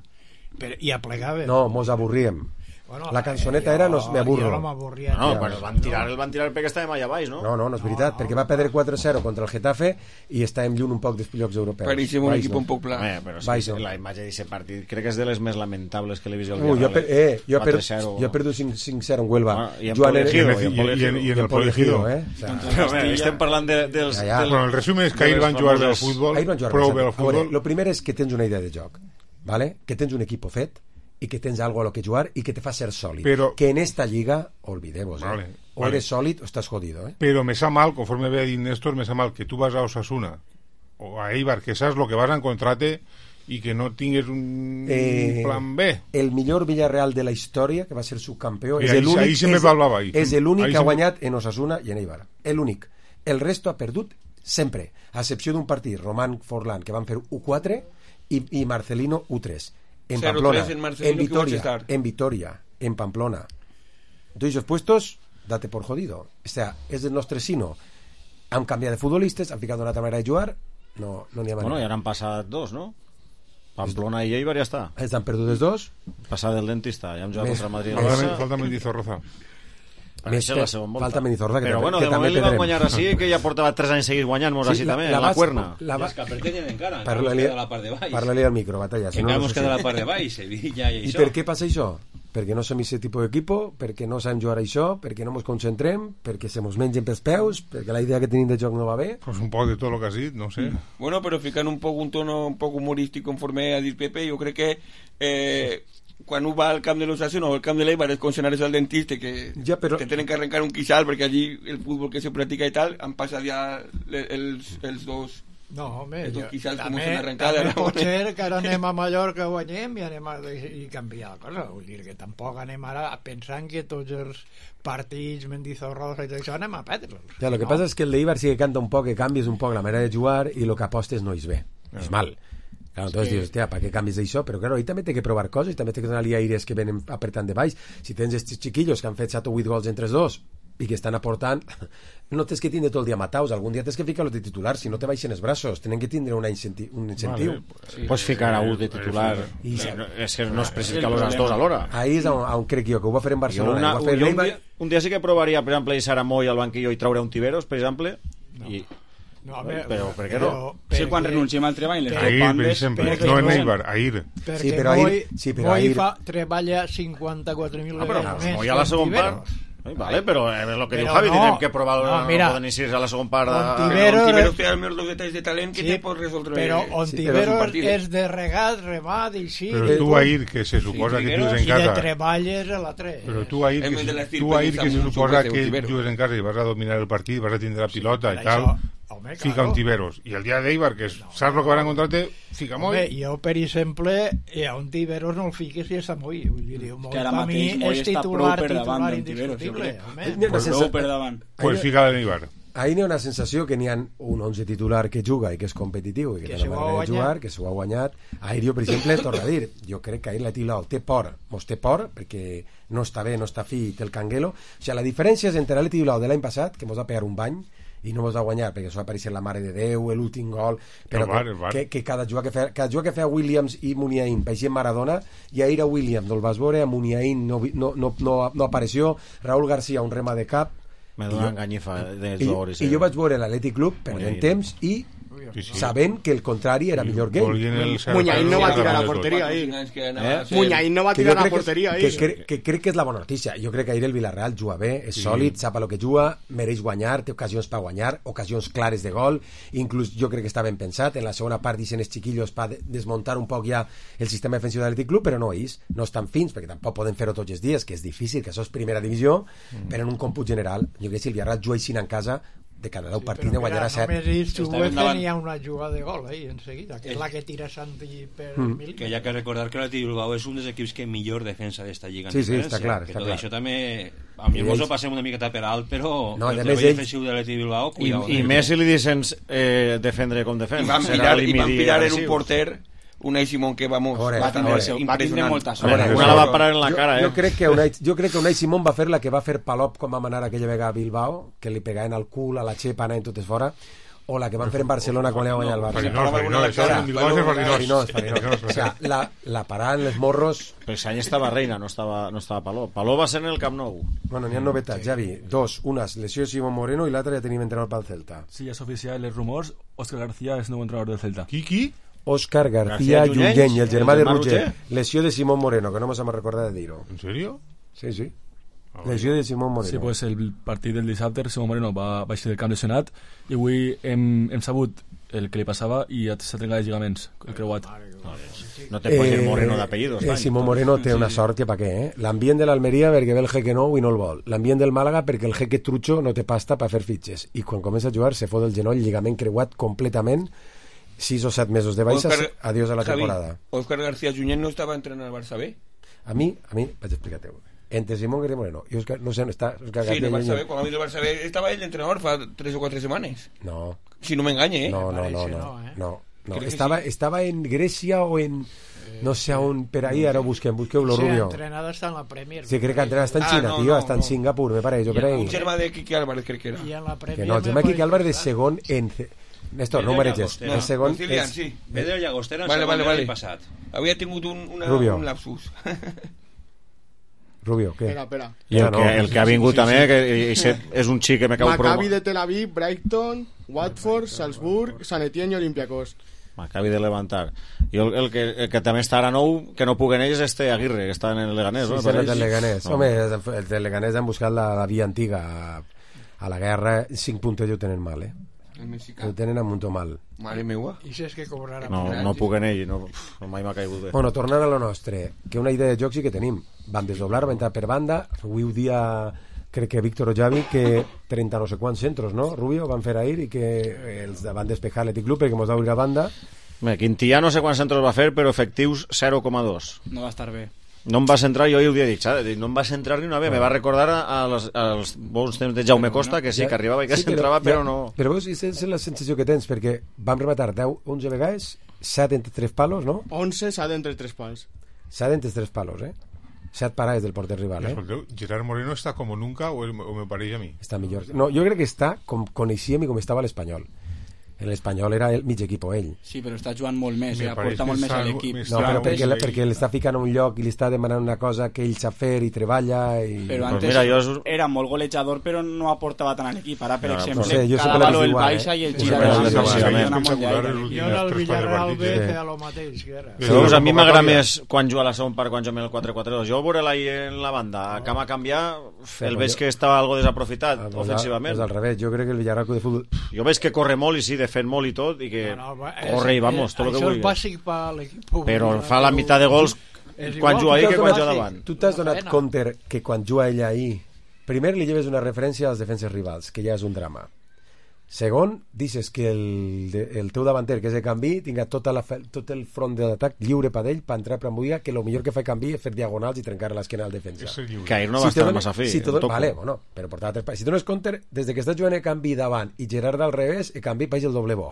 Per, i aplegaven. No, mos avorríem. Bueno, la cançoneta era no me aburro. Jo no m'avorria. No, no, però el van tirar, el van tirar perquè estàvem allà baix, no? No, no, no és veritat, perquè va perdre quatre a zero contra el Getafe i estàvem lluny un poc dels llocs europeus. Pareixem un equip un poc pla. Eh, però sí, sí, la imatge d'aquest partit crec que és de les més lamentables que l'he vist al Ui, jo, per, eh, jo, per, quatre zero. jo he perdut cinc zero en Huelva. Ah, i en Joan Poligido, Ere- i en Poligido. i en el Poligido, eh? O sea, Però bé, estem parlant de, dels... Ja, ja. del- Bueno, el resum és que ahir van jugar bé al futbol, Ahir van jugar prou bé bé al al futbol. futbol. Lo primer és que tens una idea de joc, ¿vale? Que tens un equipo fet i que tens algo a lo que jugar y que te fa ser sòlid. Pero- que en esta liga, olvidemos, Vale, ¿eh? o vale. eres sòlid o estás jodido, ¿eh? Pero me sa mal, conforme ve a dir Néstor, me sa mal que tú vas a Osasuna o a Eibar, que sabes lo que vas a encontrarte y que no tingues un Eh, plan B. El millor Villarreal de la història, que va ser subcampió, I és ahí- l'únic ahí se me és- parlava ahí. és l'únic Ahí que ha se me- guanyat en Osasuna i en Eibar. L'únic. El resto ha perdut sempre, a excepció d'un partit, Román Forlán, que van fer u quatre i, i Marcelino u tres. En cero Pamplona, tres en Marcelino, en que vaig Vitoria, estar. en Vitoria, en Pamplona. Todos esos puestos, date por jodido. O sea, és el nostre sino. Han canviat de futbolistes, han ficat una altra manera de jugar, no no n'hi ha manera. Bueno, ja n'han passat dos, no? Pamplona i Eibar ja està. Els han perdut els dos. Passat del dentista, ja hem jugat Més- contra Madrid. Falta- Barça. Falta Mendizorroza. Més Això és que- la segona volta. falta Mendizorroza, que Però també- bueno, que de també moment li van perdrem. guanyar així, que ja portava tres anys seguits guanyant-nos Sí, així la- també, la en la base- cuerna. la I és que per què tenen encara? Encara Parla-li mos queda la part de baix. parla-li al micro, Batalla. Que encara mos queda la part de baix, Sevilla i I això. per què passa això? Perquè no som aquest tipus d'equipo, perquè no sabem jugar a això, perquè no ens concentrem, perquè se mos mengen pels peus, perquè la idea que tenim de joc no va bé. Pues un poc de tot el que has dit, no sé. Bueno, però ficant un poc un tono un poc humorístic conforme ha dit Pepe, jo crec que eh, quan un va al camp de l'Osasuna o al camp de l'Eibar és com si anares al dentista que ja, però... te tenen que arrencar un quixal perquè allí el futbol que se practica i tal han passat ja le- els, els dos No, home, els dos jo, quixals com també, una arrencada. també no? pot ser que ara anem a Mallorca, guanyem i anem a i canviar la cosa. Vull dir que tampoc anem ara pensant que tots els partits, Mendizorroza i tot això anem a perdre'ls. Ja, lo que no? passa és que el d'Eibar sí que canta un poc, que canvies un poc la manera de jugar i lo que apostes no és bé. És mal. Claro, entonces Sí. dius, hòstia, ¿para qué cambies això? Però claro, ahí també té que provar coses, també té que donar-li aires que venen apretant de baix. Si tens estos chiquillos que han fet set o vuit gols entre els dos i que estan aportant, no tens que tindre tot el dia mataus, algun dia tens que ficar-lo de titular, si no te baixen els braços, tenen que tindre una incenti un incentiu. Vale, pues, Pots ficar a un de titular. I, Eh, no, és que no es precisa ficar-los els dos alhora. Ahí és on, on crec jo, que ho va fer en Barcelona. Jo una, ho va fer jo un, l'Eibar. dia, un dia sí que provaria, per exemple, deixar a Moy al banquillo i traure un Tiberos, per exemple, i... No, a veure, però per què no? Sí, quan renunciem al treball les Ahir, per exemple, no en Eibar, ahir. Perquè Sí, però Moy, ahir- sí, però Moy ahir- fa, treballa cinquanta-quatre mil Ah, però vegades més. Moy a la que segona Ontiveros. part... Ai, vale, però és el que Però diu Javi, no, tindrem que provar no, no, mira, no poden iniciar a la segona part. A... Ontiveros- Ontiveros té els meus detalls de talent que Sí, te pot resoldre però sí, Ontiveros un partit, eh? és de regat, remat i sí. Però tu ahir, que se suposa que jugues en I de casa... treballes a la tres. Però tu ahir, En que, vez de se- l'estil tu ahir que se Samu, suposa Sucre, que Ontiveros. jugues en casa i vas a dominar el partit, vas a tindre la pilota Per i tal, això, home, fica claro. un Tiberos. I el dia d'Eibar, que és, saps el que van a encontrar-te, fica Home, Moy. jo, per exemple, eh, a un Tiberos no el fiques si és a Moy. Vull dir, Moy Que ara per mi mateix Moy és està titular, prou per davant titular d'Ontiveros, jo indiscutible. crec. Home. N'hi ha una Prou sensa- per davant. Pues fica l'Eibar. Ahir n'hi ha una sensació que n'hi ha un onze titular que juga i que és competitiu i que, Que té se la ho ha manera de guanyat. jugar, que s'ho ha guanyat. Ahir jo, per exemple, torno a dir, jo crec que ahir l'Atlètic Bilbao té por, mos té por, perquè no està bé, no està fi, té el canguelo. O sigui, la diferència és entre l'Atlètic Bilbao de l'any passat, que mos va pegar un bany, i no mos va guanyar perquè això va aparèixer la mare de Déu, l'últim gol, però El VAR, que, el VAR. que, que cada jugar que feia, cada jugar que feia Williams i Muniain paeixia Maradona, i ahir a Williams no el vas veure, a Muniain no, vi- no, no, no, no apareció, Raúl García un rema de cap. Me I dona jo- enganyifa de I, jugadors. i jo vaig veure l'Atlètic Club perdent Muniain. temps i Sí, sí. sabent que el contrari era millor que ell. Volien el cert Muñain no va per tirar a tot. porteria ahir. Eh? Muñain no va Que jo tirar a crec que- porteria que, ahir. que, que crec que és la bona notícia. Jo crec que ahir el Villarreal juga bé, és sòlid, sap a lo que juga, mereix guanyar, té ocasions per guanyar, ocasions clares de gol, inclús jo crec que està ben pensat, en la segona part dicen els chiquillos per desmuntar un poc ja el sistema defensiu de l'Atlètic Club, però no és, no estan fins, perquè tampoc poden fer-ho tots els dies, que és difícil, que això és primera divisió, Mm. però en un còmput general, jo crec que si el Villarreal juga així en casa, de cada deu partits ne guanyarà set. Només ells Està jugues endavant. tenia una jugada de gol ahí, en seguida, que és la que tira Santi per Mm. mil. Que hi ha que recordar que l'Atlètic Bilbao és un dels equips que millor defensa d'esta lliga. en Sí, sí, diferència, està clar, que està tot clar. això també a mi I mos ho ells- passem una miqueta per alt, però No, i el a treball més ells- defensiu de l'Atlètic Bilbao, I, cuidao. i més si li dicen eh, defendre com defensa. I van Serà pillar, i van limiti pillar en un agressiu. porter Unai Simón que vamos A veure, va a tindre, veure. ser Va tindre impressionant. molta A veure, sort. una la va parar en la jo, cara, eh? jo crec que Unai, jo crec que Unai Simón va fer la que va fer Palop quan va manar aquella vegada a Bilbao, que li pegaven al cul, a la xepa, anaven totes fora. o la que van fer en Barcelona quan li va guanyar el Barça. Farinós, Farinós, això és Farinós. Farinós, Farinós. O sea, la, la parada en les morros... Però aquest any estava Reina, no estava, no estava Paló. Paló va ser en el Camp Nou. Bueno, n'hi ha novetats, Javi. Dos, una lesió de Simón Moreno i l'altra ja tenim entrenador pel Celta. Sí, és oficial, els rumors. Òscar García és nou entrenador del Celta. Qui, qui? Òscar García Junyent, el germà de Roger. Lesió de Simón Moreno, que no ens hem recordat de dir-ho. ¿En serio? Sí, sí. Lesió de Simón Moreno. Sí, pues el partit del dissabte, Simón Moreno va baixar del camp lesionat i avui hem, hem sabut el que li passava i s'ha trencat els lligaments, el creuat. No te pones eh, Moreno d'apellidos. Eh, Simón Moreno té una sort que pa què, eh? L'ambient de l'Almeria perquè ve el jeque nou i no el vol. L'ambient del Màlaga perquè el jeque trucho no té pasta per fer fitxes. I quan comença a jugar se fot el genoll, lligament creuat completament, sis o set mesos de baixes, Oscar, adiós a la Javi, temporada. Òscar García Junyent no estava entrenant al Barça B? A mi, a mi, vaig explicar-te entre Simón García Moreno i Òscar, no sé on està Òscar sí, García no Barça B, quan va venir el Barça B estava ell d'entrenador fa tres o quatre setmanes. No. Si no m'enganye, eh? No, no, no, no, no, eh? no, no. Estava, sí. estava en Grècia o en... No sé on, per ahí, ara ho busquem, busqueu-lo, sí, Rubio. Sí, entrenada està en la Premier. Sí, crec que entrenada està en Xina, ah, no, tio, no, està en no. Singapur, me pareix, per ahí. Un germà de Quique Álvarez, crec que era. I en la Premier... Que no, el germà de Quique Álvarez és segon en... Néstor, no ho mareges. No, el segon és... Sí. Pedro Llagostera en vale, segon vale, vale. passat. Havia tingut un, una, un lapsus. Rubio, què? Espera, espera. I el, que, el que ha vingut sí, sí, també, sí. que és un xic que me cau promo. Maccabi de Tel Aviv, Brighton, Watford, Salzburg, Sant Etienne i Olympiacos. M'acabi de levantar. I el, el, que, el que també està ara nou, que no puguen ells, és este Aguirre, que està en el Leganés. Sí, no? sí, el del Leganés. No. Home, el del Leganés han buscat la, la via antiga. A, a la guerra, cinc puntos ho tenen mal, eh? Ho tenen a muntó mal. Mare meua. I si és que cobrarà... No, no puguen ells, no, no mai m'ha caigut bé. Bueno, tornant a lo nostre, que una idea de joc sí que tenim. Van desdoblar, van entrar per banda, avui ho dia... crec que Víctor o Javi, que trenta no sé quants centros, no, Rubio, van fer ahir i que els van despejar l'Atlètic Club perquè mos va obrir a banda. Bé, Quintillà no sé quants centros va fer, però efectius zero coma dos. No va estar bé. No em va centrar, jo ho havia dit, saps? No em va centrar ni una vegada, me va recordar als, als bons temps de Jaume Costa, que sí, que arribava i que sí, centrava, però, però no... Però veus, és, és la sensació que tens, perquè vam rematar deu, onze vegades, set entre tres palos, no? onze, set entre tres pals. set entre tres palos, eh? set parades del porter rival, eh? Escolteu, Gerard Moreno està com nunca o, o me pareix a mi? Està millor. No, jo crec que està com coneixíem i com estava l'Espanyol. En l'Espanyol era el mig equip ell. Sí, però està jugant molt més, eh? Aporta molt més a l'equip. No, però perquè, perquè l'està ficant a un lloc i li està demanant una cosa que ell sap fer i treballa i... Però antes pues mira, jo... era molt golejador però no aportava tant a l'equip. Ara, per no, exemple, no sé, cada valor el baixa eh? I el gira de la jo en el Villarreal B feia el mateix que era. Doncs a mi m'agrada més quan juga a la segon part, quan juga el quatre quatre dos. Jo veure-la en la banda, a cama canviar, el veig que estava algo desaprofitat ofensivament. És al revés, jo crec que el Villarreal de futbol... Jo veig que corre molt i sí, defèn molt i tot i que no, no, corre i vamos, tot el que vulgui. Això és bàsic per l'equip. Però fa la meitat de gols quan juga ahí que quan juga davant. Tu t'has donat compte que quan juga ella ahí, primer li lleves una referència als defenses rivals, que ja és un drama. Segon, dices que el, el teu davanter, que és de canvi, tinga tota la, tot el front de l'atac lliure per ell, per entrar per ambuir, que el millor que fa canvi és fer diagonals i trencar l'esquena al defensa. Que ahir no va si estar massa fi. Si dones, vale, bueno, però portar tres... Si dones compte, des que estàs jugant el canvi davant i Gerard al revés, el canvi país el doble bo.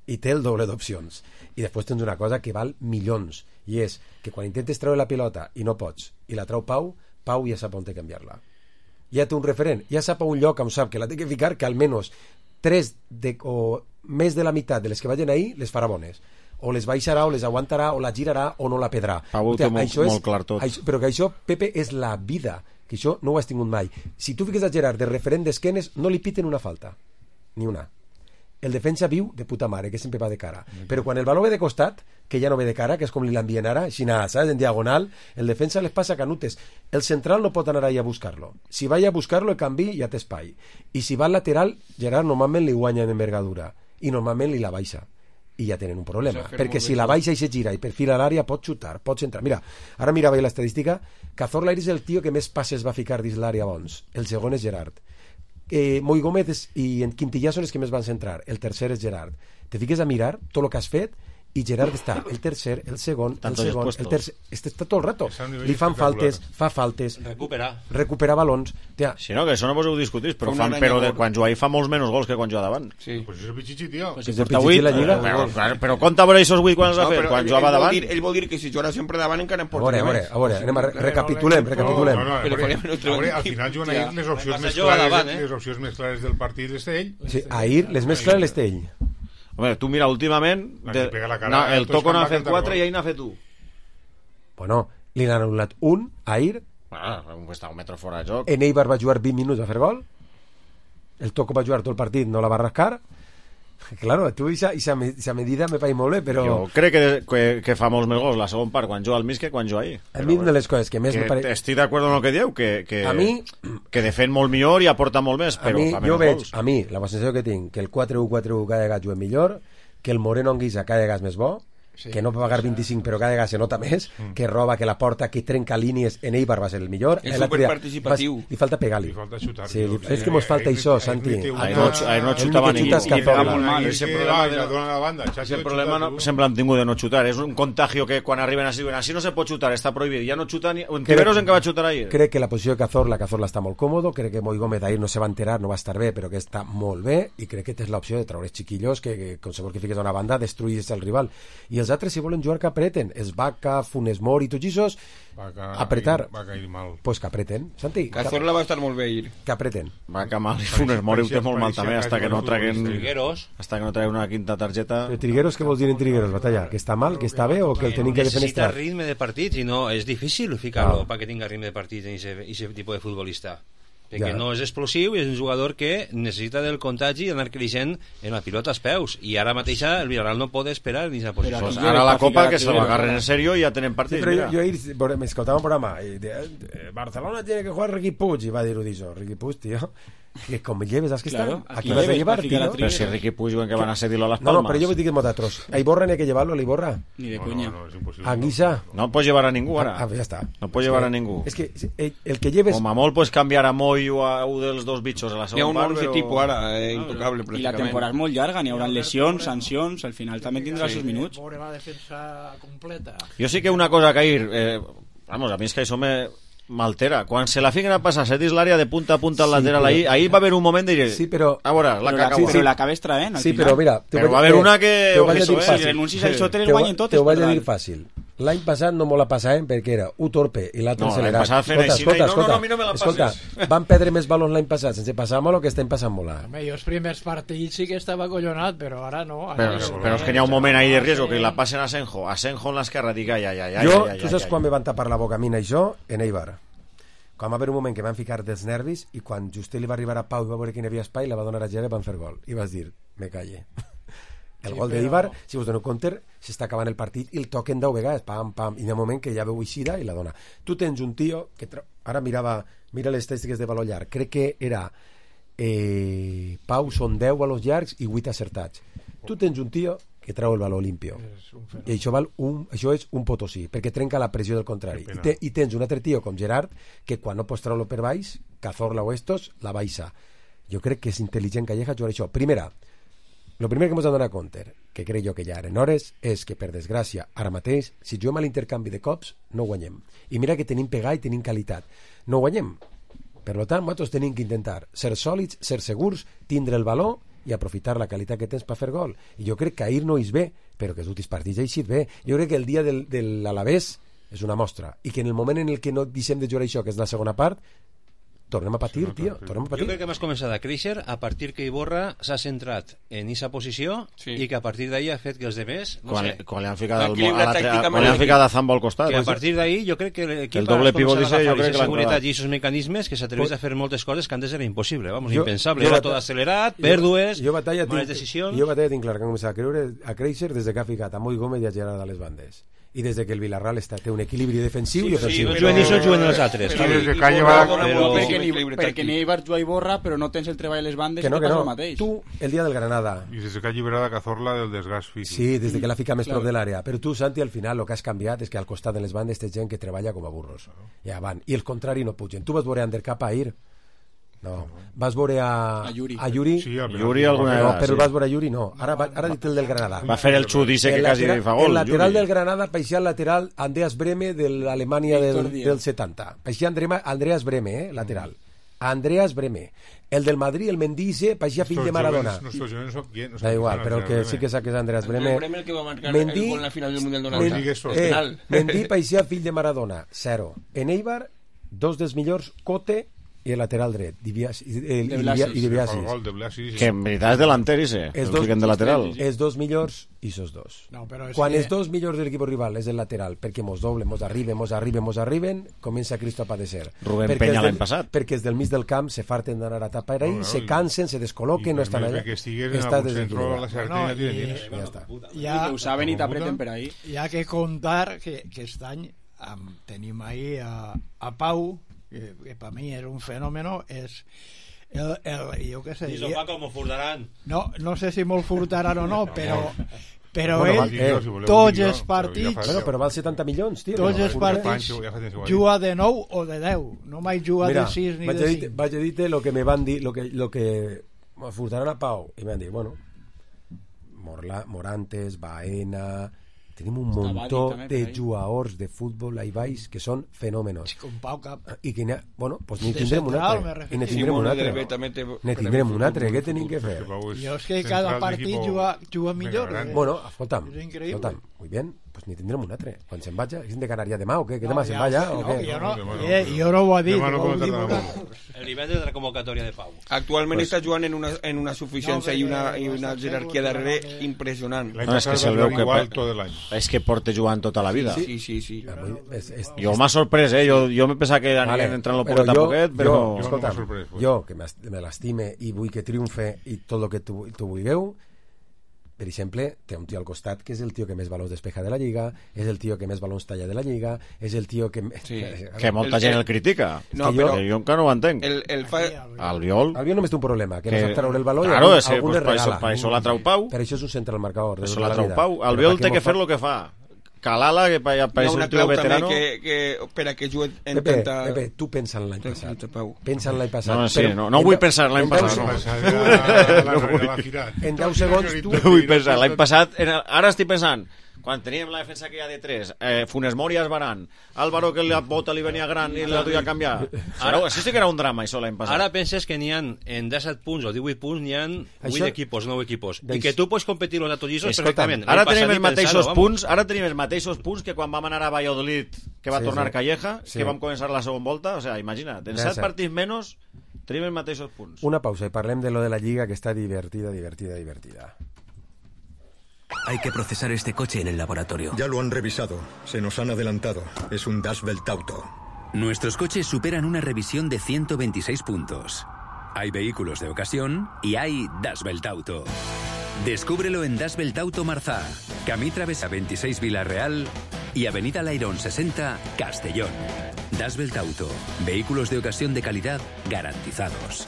I té el doble d'opcions. I després tens una cosa que val milions, i és que quan intentes treure la pilota i no pots, i la treu Pau, Pau ja sap on té canviar-la. Ja té un referent, ja sap a un lloc on sap que la té que ficar, que almenys tres de, o més de la meitat de les que vagin ahir les farà bones, o les baixarà o les aguantarà o la girarà o no la pedrà. Pau ho té molt, és, molt clar tot això, però que això, Pepe, és la vida, que això no ho has tingut mai. Si tu fiques a Gerard de referent d'esquenes, no li piten una falta, ni una. El defensa viu de puta mare, que sempre va de cara, mm-hmm. però quan el baló ve de costat, que ja no ve de cara, que és com li l'envien ara, així nada, saps? En diagonal, el defensa les passa canutes. El central no pot anar ahí a buscar-lo. Si va a buscar-lo, el canvi ja té espai. I si va al lateral, Gerard normalment li guanya en envergadura i normalment li la baixa. I ja tenen un problema, perquè si la baixa i se gira i perfila l'àrea pot xutar, pot centrar. Mira, ara mirava l'estadística, Cazorla és el tio que més passes va ficar dins l'àrea bons. El segon és Gerard. Eh, Moi Gómez i en Quintillà són els que més van centrar. El tercer és Gerard. Te fiques a mirar tot el que has fet i Gerard està el tercer, el segon, el Tantos segon, el tercer, este està tot el rato. Està a un nivell Li fan espectacular. faltes, fa faltes, Recupera. recupera balons. Tia, Si no, que això no vos ho discutís, però, Fa una fan, però de, aranya quan juga ahí fa molts menys gols que quan juga davant. Sí. Pues és el Pichichi, tio. Pues si si porta porta vuit, vuit, la lliga... Però, però, però compta per això els vuit quan els ha fet, quan ell, jugava ell, vol davant. dir, ell vol dir que si juga sempre davant encara en A porta veure, a veure, a veure, anem a re recapitulem, recapitulem. No, no, a Però veure, farem un altre a veure, al equip. final juguen ahir les opcions Passa més juga clares, davant, eh? les opcions més clares del partit és ell. Sí, ahir, les més clares les té ell. Home, tu mira, últimament, La de, que pega la cara, no, el tots Toco quan n'ha va fet cantar quatre gol. i ahir n'ha fet un. Bueno, li n'han anul·lat un, ahir, Bueno, està un metre fora de joc. en Eibar va jugar vint minuts a fer gol, el Toco va jugar tot el partit, no la va rascar. Claro, tu esa medida me pareix molt bé, però... Jo crec que, que, que fa molts més gols la segona part quan juga al mig que quan juga ahir. A mi una de les coses que més que me pareix... estic d'acord amb el que dieu, que, que, A mi... que defèn molt millor i aporta molt més, A però mi, fa jo menys veig, gols. a mi, la sensació que tinc, que el quatre u quatre u cada vegada juguem millor, que el Moreno Anguissa cada vegada és més bo, Sí, que no va pagar vint-i-cinc però cada vegada se nota més, que roba, que la porta, que trenca línies, en Eibar va ser el millor. És L'altre dia superparticipatiu. vas- Li falta pegar-li. Li falta xutar. Sí, li, Sí, és que mos falta ahir- això, ahir- Santi. ahir- Ahir no, ahir no El xutava únic que ningú. xuta és I pega Cazorla. molt mal. Ahir Ese que problema, va, de- la dona a la banda, Chacho, ese xuta problema no, tu. sempre han tingut de no xutar. És un contagio que quan arriben així, diuen, així no se pot xutar, està prohibit. Ja no xuta ni... En Tiberos en què va xutar ahir? Crec que la posició de Cazorla, Cazorla està molt còmodo, crec que Moi Gómez ahir no se va enterar, no va estar bé, però que està molt bé, i crec que és l'opció de treure xiquillos que, que qualsevol que fiques a una banda destruïs el rival. I els altres, si volen jugar, que apreten. Es Vaca, Funes Mori, tots aquests, Va ca- apretar. Va cair mal. Pues que apreten. Santi, que, Cazorla va estar molt bé ahir. que apreten. Va que mal, i Funes Mori ho té molt mal Pareixia- també, hasta que no traguen... Trigueros. Hasta que no traguen una quinta targeta... Però Trigueros, què vols dir en Trigueros, Batalla? Que està mal, que està bé o que el tenim que Necessita defenestrar? ritme de partit i no, és difícil ficar-lo Ah. perquè tinga ritme de partit en aquest tipus de futbolista, perquè Ja. no és explosiu i és un jugador que necessita del contagi i anar creixent en la pilota als peus, i ara mateixa el Villarreal no pot esperar en aquesta posició. Pues ara la Copa que se lo agarren en serio i ja tenen Sí, partit. però jo, mira. jo ahir bueno, me escoltava un programa y de, eh, Barcelona tiene que jugar Riqui Puig y va a dir eso, Riqui Puig, tío, que com me lleves, ¿sabes que Claro, está? aquí Aquí vas a lleves, llevar, para ficar tío. a Però si Riqui Puig diuen que van a cedir-lo a les No, no, Palmas. pero yo me digo que otros. A Iborra ni hay que llevarlo, a Iborra. Ni de No, coña. no, no, és impossible. A Guisa. No pots llevar a ningú ara. Ah, ya está. No pots llevar a ningú. Es que el, el que lleves... Com a molt pots canviar a Moi o a un dels dos bitxos a la Hi ha un segona part, once però... tipus ara, eh, intocable, I la pràcticament. temporada és molt llarga, n'hi haurà lesions, sancions, al final també tindrà els seus minuts. Veure la defensa completa. Jo sí que una cosa que ahir... Eh, vamos, a mi és que això me m'altera. Quan se la fiquen a passar, setis l'àrea de punta a punta al Sí, lateral, però- ahí, ahí va haver un moment de dir... Sí, però... A veure, la Però caca... la, bona. però l'acabes traent, al Sí, final. però mira... te Però vaig- va haver eh, una que... te ho vaig a ojo, dir eh, fàcil. Si renuncis a això, te les Te ho- guanyen totes. Te ho vaig a per dir dalt. fàcil. L'any passat no me la passàvem perquè era un torpe i l'altre No, l'any accelerat. passat feien Escolta, així, escolta, no, no, escolta, no, a mi no me la escolta, passes. van perdre més balons l'any passat sense passar molt o que estem passant molt ara. Home, jo els primers partits sí que estava acollonat, però ara no. Ara Però, no. però és que n'hi ha un moment ahí de riesgo que la passen a Senjo, a Senjo en l'esquerra, dic, ai, ai, ai, ai, Jo, ai, tu ai, saps ai, quan me van tapar la boca a mi això? En Eibar. Quan va haver un moment que van ficar dels nervis i quan just li va arribar a Pau i va veure que hi havia espai, la va donar a Gerard i van fer gol. I vas dir, me calle. El Sí, gol però- d'Eibar, si us dono compte, s'està acabant el partit i el toquen deu vegades, pam, pam, i hi ha un moment que ja veu eixida i la dona. Tu tens un tio que tra... ara mirava, mira les estadístiques de valor llarg, crec que era eh, Pau són deu valors llargs i vuit acertats. Tu tens un tio que treu el valor limpio i això, val un, això és un potosí perquè trenca la pressió del contrari I, te, i tens un altre tio com Gerard que quan no pots treure-lo per baix, Cazorla o estos la baixa. Jo crec que és intel·ligent Calleja jugar això. Primera, el primer que ens ha donat compte, que crec jo que ja eren hores, és que per desgràcia ara mateix, si juguem a l'intercanvi de cops no guanyem, i mira que tenim pegar i tenim qualitat, no guanyem. Per tant, nosaltres tenim que intentar ser sòlids, ser segurs, tindre el valor i aprofitar la qualitat que tens per fer gol. I jo crec que ahir no és bé, però que els últims partits ha eixit bé. Jo crec que el dia del, de l'Alavés és una mostra, i que en el moment en el que no deixem de jugar això, que és la segona part, tornem a patir, tio, tornem a Jo patir. crec que m'has començat a créixer a partir que Iborra s'ha centrat en aquesta posició Sí. i que a partir d'ahí ha fet que els demés, no Quan, sé, quan li han ficat, Ha el, equilibrat a l'altre- tàcticament quan li han l'equip. ficat a Zambo al costat. que a Pues, partir d'ahí jo crec que l'equip El doble ha pivot començat a dice, jo agafar crec que aquesta l'han seguretat clavat. i aquests mecanismes que s'atreveix a fer moltes coses que antes era impossible, vamos, Jo- impensable, jo era bata- tot accelerat, jo- pèrdues, jo batalla males tinc, decisions. jo batalla tinc clar que hem començat a creure a créixer des de que ha ficat a Moi Gómez i a Gerard a les bandes i des de que el Villarreal està, té un equilibri defensiu i Sí, ofensiu. no juguen ells, no juguen els altres. Però- Sí, des de i Calle Iborra va- dona però- moltíssim Perquè ni, equilibri perquè tàctic. ni Eibar juga i borra, però no tens el treball a les bandes, Que no, i que passa no. el mateix. Tu, el dia del Granada, I des que ha alliberat a Cazorla del desgast físic. sí, des de que l'ha ficat més Claro. prop de l'àrea. Però tu, Santi, al final el que has canviat és que al costat de les bandes té gent que treballa com a burros. Ja van. I el contrari no pugen. Tu vas veure Undercap ahir. No. Vas veure a... A Yuri. A Yuri? Sí, a Yuri alguna No, vegada, però sí. vas veure a Yuri, no. Ara, va- ara dit el del Granada. Va fer el xudice que El quasi lateral- fa gol. El lateral Yuri. del Granada paixia el lateral Andreas Breme de l'Alemanya del, del setanta. Paixia Andre- Andreas Breme, eh, lateral. Andreas Breme. El del Madrid, el Mendice, paixia fill de Maradona. Nuestros jóvenes no son quién. Da igual, però el que sí que saps que és Andreas Breme. Breme el que va marcar el gol en la final del Mundial noranta. eh, Mendy paixia fill de Maradona, zero. En Eibar, dos dels millors, Cote i el lateral dret, Dibiasi, el, De i Blasis. Dibi- i Dibiasi. El gol de Blasis. Que en veritat és delanter, ese. Els El dos, fiquen de lateral. els dos millors i sos dos. No, però és Quan que- els dos millors de l'equip rival és el lateral, perquè mos doble, mos arriben, mos arriben, mos arriben, comença Cristo a padecer. Rubén Perquè Peña els l'any del- passat. Perquè els del mig del camp se farten d'anar a tapar ahí, No, no, se i- cansen, se descol·loquen, no estan allà. Que estigues en Està algun centro, la desequilibrat. Sartén No, ja i- tienes. Ja està. Ja, Ho saben i t'apreten per ahí. Hi ha que contar que, que aquest any um, tenim ahí a, a Pau, que, que per mi és un fenòmeno, és el, el, jo què sé, Dice Paco, m'ho furtaran. no, no sé si molt furtaran o no, però però Bueno, ell, val- eh, si voleu tots dir-ho, els però partits ja fa- Bueno, però val setanta milions, tio. tots no? els Furter. partits Pancho, ja fa temps que ho ha juga de nou o de deu, no mai juga Mira, de sis ni vaig a de dir, cinc. vaig a dir-te lo que me van dir, lo que, lo que me furtaran a Pau, i m'han dit, bueno, Morla, Morantes, Baena, tenim un Està muntó Badi també, de per ahí. jugadors de futbol ahí baix que són fenòmenos. Com Pau Cap. I que n'hi ha, bueno, pues n'hi De tindrem un central, altre. me refiero. I ne tindrem un Simone altre. Derbe també té- Ne tindrem un altre, què tenim que fer? Jo és que cada partit juga, juga millor. eh? Bueno, escolta'm, És increïble. escolta'm, muy bien, pues ni tindrem un altre. Quan se'n vaja, és de Canària demà o què? Que No, demà se'n ja, vaja no, o què? jo no, eh, jo no ho he dit, Demà no ho podem diu tardar vosaltres. El nivell de la convocatòria de Pau. Actualment Pues- està jugant en una, en una suficiència No, i una, perquè i una està jerarquia segur darrere que- impressionant. No, és que se'l veu que igual tot l'any. és que porta jugant tota la vida. Sí, sí, sí. És, és, Jo m'ha sorprès, eh? Jo, jo me pensava que anirien Vale, entrant lo però poquet a jo- poquet, però... jo, Jo escolta, no m'ha sorprès, pues. jo que m'est- me l'estime i vull que triomfe i tot el que tu, tu vulgueu, per exemple, té un tio al costat que és el tio que més balons despeja de la Lliga, és el tio que més balons talla de la Lliga, és el tio que... Sí. Que molta El- gent el- el critica. No, És que jo, però- que jo encara no ho entenc. El, el fa... Albiol... Albiol només té un problema, que, Que- no sap treure el baló i Claro, algun, és que, algun pues, le per això- regala. per això la trau Pau. Per això és un central marcador. de Això tota la trau vida. Pau. Però Albiol per té què que m'ho fer fa? el que fa. Calala, que pa- Hi ha pareix una un tio clau també veterano... que, que per a que jugui en Pepe, tanta... Pepe, tu pensa en l'any passat. Pensa en l'any passat. No, sí, Però no, no en vull deu- pensar en l'any en deu passat, no. segons- No vull. En deu segons tu... No vull pensar, l'any passat... Era, ara estic pensant, quan teníem la defensa que hi ha de tres, eh, Funes Mori Esbaran, Álvaro que la bota li venia gran i la duia a canviar. Ara, això sí que era un drama, això, l'any passat. Ara penses que n'hi ha en disset punts o divuit punts, n'hi ha Això- vuit equipos, nou equipos. I Deix- que tu pots competir amb els atollissos Escolta'm, perfectament. ara L'any tenim passat els ni mateixos pensar-ho, vamos. punts, ara tenim els mateixos punts que quan vam anar a Valladolid, que va Sí, tornar sí. Calleja, Sí. que vam començar la segona volta, o sea, imagina't, en Ja set sé. partits menys tenim els mateixos punts. Una pausa i parlem de lo de la Lliga, que està divertida, divertida, divertida. Hay que procesar este coche en el laboratorio. Ya lo han revisado. Se nos han adelantado. Es un Das Belt Auto. Nuestros coches superan una revisión de ciento veintiséis puntos. Hay vehículos de ocasión y hay Das Belt Auto. Descúbrelo en Das Belt Auto Marzá, Camí Travesa veintiséis Villarreal y Avenida Lairón sesenta Castellón. Das Belt Auto. Vehículos de ocasión de calidad garantizados.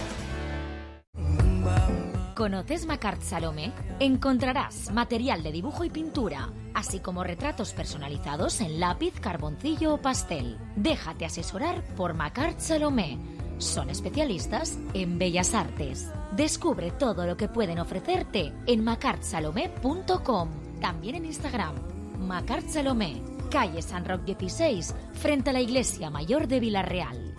¿Conoces Macart Salomé? Encontrarás material de dibujo y pintura, así como retratos personalizados en lápiz, carboncillo o pastel. Déjate asesorar por Macart Salomé. Son especialistas en bellas artes. Descubre todo lo que pueden ofrecerte en macart salomé punto com. También en Instagram. Macart Salomé, calle San Roque dieciséis, frente a la Iglesia Mayor de Villarreal.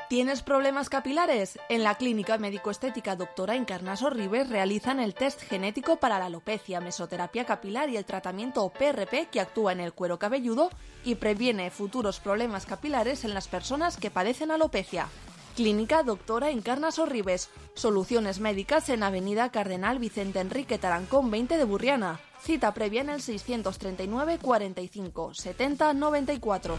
¿Tienes problemas capilares? En la Clínica Médico-Estética Doctora Encarnaso Ribes realizan el test genético para la alopecia, mesoterapia capilar y el tratamiento P R P que actúa en el cuero cabelludo y previene futuros problemas capilares en las personas que padecen alopecia. Clínica Doctora Encarnaso Ribes. Soluciones médicas en Avenida Cardenal Vicente Enrique Tarancón veinte de Burriana. Cita previa en el seiscientos treinta y nueve cuarenta y cinco setenta noventa y cuatro.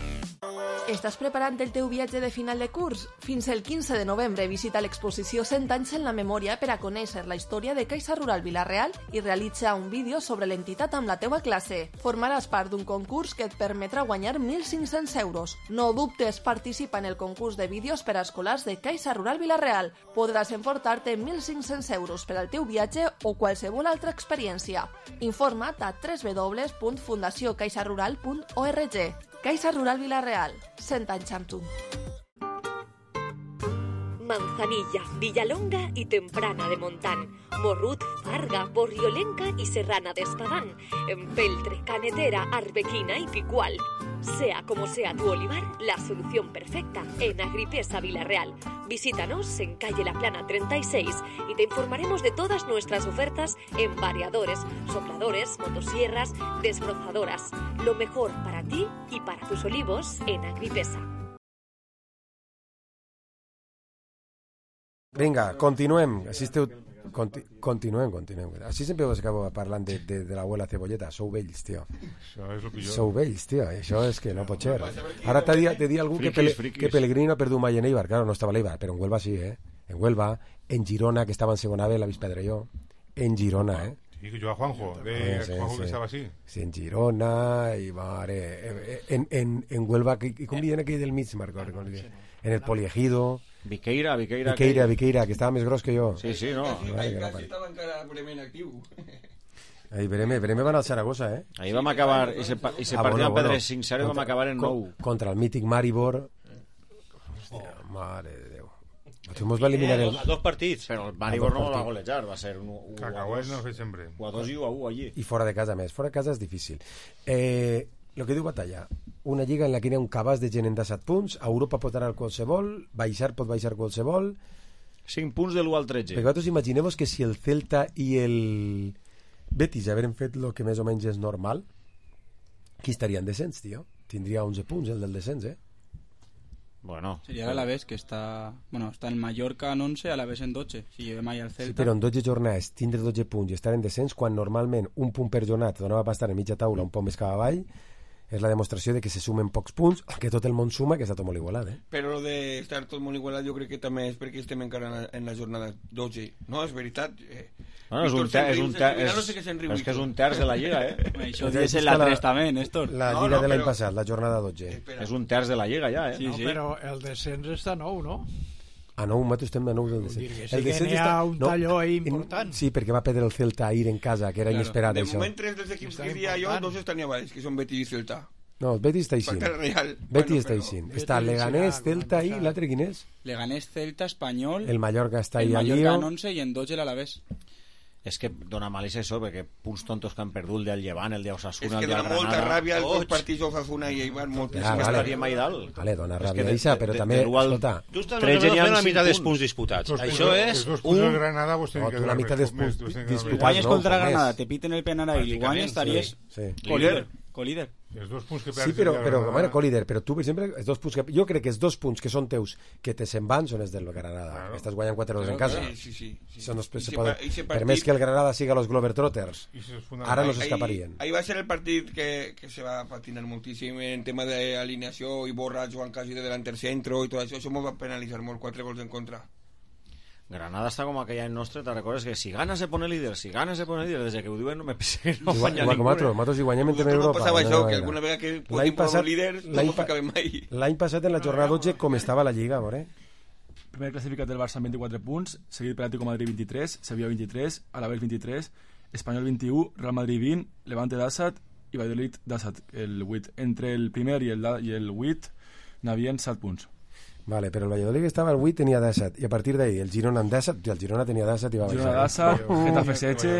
Estàs preparant el teu viatge de final de curs? Fins el quinze de novembre visita l'exposició cent anys en la memòria per a conèixer la història de Caixa Rural Vila-real i realitza un vídeo sobre l'entitat amb la teua classe. Formaràs part d'un concurs que et permetrà guanyar mil cinc-cents euros. No dubtes, participa en el concurs de vídeos per a escolars de Caixa Rural Vila-real. Podràs emportar-te mil cinc-cents euros per al teu viatge o qualsevol altra experiència. Informa't a w w w punt fundació caixa rural punt org. Caixa Rural Vila-real, cent anys amb tu. Manzanilla, Villalonga y Temprana de Montán, Morrut, Farga, Borriolenca y Serrana de Espadán, Empeltre, Canetera, Arbequina y Picual. Sea como sea tu olivar, la solución perfecta en Agripesa Vilarreal. Visítanos en calle La Plana treinta y seis y te informaremos de todas nuestras ofertas en variadores, sopladores, motosierras, desbrozadoras. Lo mejor para ti y para tus olivos en Agripesa. Vinga, continuem. Així esteu... Conti... Continuem, continuem. Així sempre us acabo parlant de, de, de l'abuela Cebolleta. Sou vells, tio. Això és el pitjor. Sou vells, tio. Això és que no pot ser. Ara t'ha dit, dit algú que, Pele, que Pellegrini ha perdut mai en Eibar. Claro, no estava a l'Eibar, però en Huelva sí, eh? En Huelva, en Girona, que estava en segona B, l'ha vist perdre jo. En Girona, eh? Sí, que jo a Juanjo, de eh, sí, Juanjo sí. que estava així. Sí, en Girona, i mare... En, en, en Huelva, i com diuen aquell del mig, Marco? En el Poliegido... Viqueira, Viqueira, Viqueira, Viqueira, que estava més gros que jo. Sí, sí, no. Vale, quasi estava encara Bremen actiu. Ahí Breme, Breme va anar al Zaragoza, eh? Ahí vam acabar, i se, i se ah, partia bueno, en Pedre bueno. cinc zero i vam acabar en nou. Contra el mític Maribor. Hòstia, mare de Déu. Això mos va eliminar el... A dos partits. Però el Maribor no va golejar, va ser un u a dos. no sempre. u a dos i u a u allí. I fora de casa més. Fora de casa és difícil. Eh... El que diu Batalla, una lliga en la que hi ha un cabàs de gent en disset punts, a Europa pot anar qualsevol, baixar pot baixar qualsevol... cinc punts de l'u al tretze. Perquè vosaltres imagineu que si el Celta i el Betis hagueren fet el que més o menys és normal, qui estaria en descens, tio? Tindria onze punts el del descens, eh? Bueno. Sería el Alavés, que está... Bueno, está en Mallorca en once, Alavés en doce. Si lleve mai al Celta... Sí, però en dotze jornades tindre dotze punts i estar en descens, quan normalment un punt per jornada donava per estar en mitja taula un poc més cap avall, és la demostració de que se sumen pocs punts, que tot el món suma, que està tot molt igualat, eh? Però lo de estar tot molt igualat jo crec que també és perquè estem encara en la, en la jornada dotze. No, és veritat. Eh, bueno, és un, ter, és, un ter, és, no sé és, és que és un terç de la Lliga, eh? Això és en la tres també, Néstor. La Lliga no, no, de l'any però... passat, la jornada dotze. Espera. És un terç de la Lliga ja, eh? Sí, no, sí. Però el descens està nou, no? A nou, nosaltres estem de nou del descens. Dir que sí el que n'hi ha està... un talló no, ahí important. Sí, perquè va perdre el Celta ahir en casa, que era claro. inesperat, de això. De moment, tres dels equips que diria jo, dos estan a baix, que són Betis i Celta. No, el Betis està eixint. Betis bueno, està eixint. Està Leganés, Celta i l'altre quin és? Leganés, Celta, Espanyol... El Mallorca està ahí al lío. El Mallorca en once i en dotze l'Alavés. És que dona malícia això, perquè punts tontos que han perdut el del Llevant, el d'Osasuna, el del Granada... És que dona molta ràbia els dos partits d'Osasuna i Eibar, moltíssim. Ah, vale. Estaria mai dalt. Vale, dona ràbia, Isa, però també... Escolta, tu estàs fent la meitat dels punts disputats. Això és un... Granada, vos no, tu la meitat dels punts disputats. Guanyes contra Granada, te piten el penal i guanyes, estaries colíder. Colíder. Els dos punts que sí, però, però, bueno, colíder, però tu, per exemple, els dos punts que, jo crec que els dos punts que són teus que te se'n van són els del Granada. Claro. Estàs guanyant quatre dos en casa. Sí, sí, sí. Són els, se poden, per més que el Granada siga los Globetrotters, ara no s'escaparien. Ahí va ser el partit que, que se va patinar moltíssim en tema d'alineació i Borra Joan Casi de delanter centro i tot això. Això m'ho va penalitzar molt, quatre gols en contra. Granada està com aquell any nostre, te recordes que si gana se pone líder, si gana se pone líder, des que ho diuen no me pensé que no guanya ningú. Igual com nosaltres, i guanyem en tema Europa. Passava això, que alguna vegada que podíem posar líders no ho ficàvem mai. L'any passat en la jornada dotze com estava la Lliga, a veure? Primer classificat del Barça amb vint-i-quatre punts, seguit per Atlético Madrid vint-i-tres, Sevilla vint-i-tres, Alavés vint-i-tres, Espanyol vint-i-u, Real Madrid vint, Levante disset i Valladolid disset, el vuit. Entre el primer i el, i el vuit n'havien set punts. Vale, però el Valladolid estava al vuit, tenia disset, i a partir d'ahir el Girona en disset, el Girona tenia disset i va baixar. Girona disset, Getafe setze,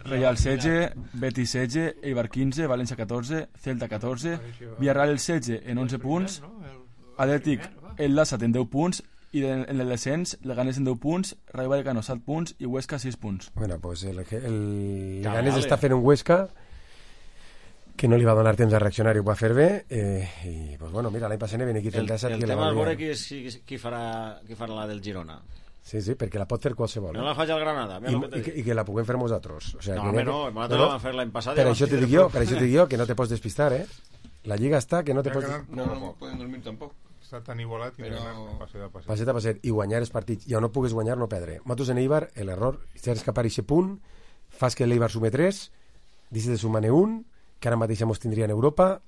Real setze, Betis setze, Eibar quinze, València catorze, Celta catorze, Villarreal el setze en onze punts, Atlètic el disset en deu punts, i en el descens Leganés en deu punts, Rayo Vallecano set punts i Huesca sis punts. Bueno, pues el, el Leganés està fent un Huesca que no li va donar temps a reaccionar i ho va fer bé, eh, i pues bueno, mira, l'any passat ven aquí el disset el, el tema és veure qui, qui, qui, farà, qui farà la del Girona. Sí, sí, perquè la pot fer qualsevol. No la faig al Granada. I, i, que, I que la puguem fer nosaltres. O sea, no, que home, no, no, nosaltres no, la vam fer l'any passat. Per això te dic jo, per això te dic jo, que no te pots despistar, eh? La Lliga està que no te pots... No, no, no poden dormir tampoc. Està tan igualat que però... passet a passet. Passet a passet, i guanyar els partits. I on no pugues guanyar, no perdre. Nosaltres en Eibar, l'error, si has escapar aquest punt, fas que l'Eibar sume tres, deixes de sumar-ne un, que ara mateix mos tindria en Europa,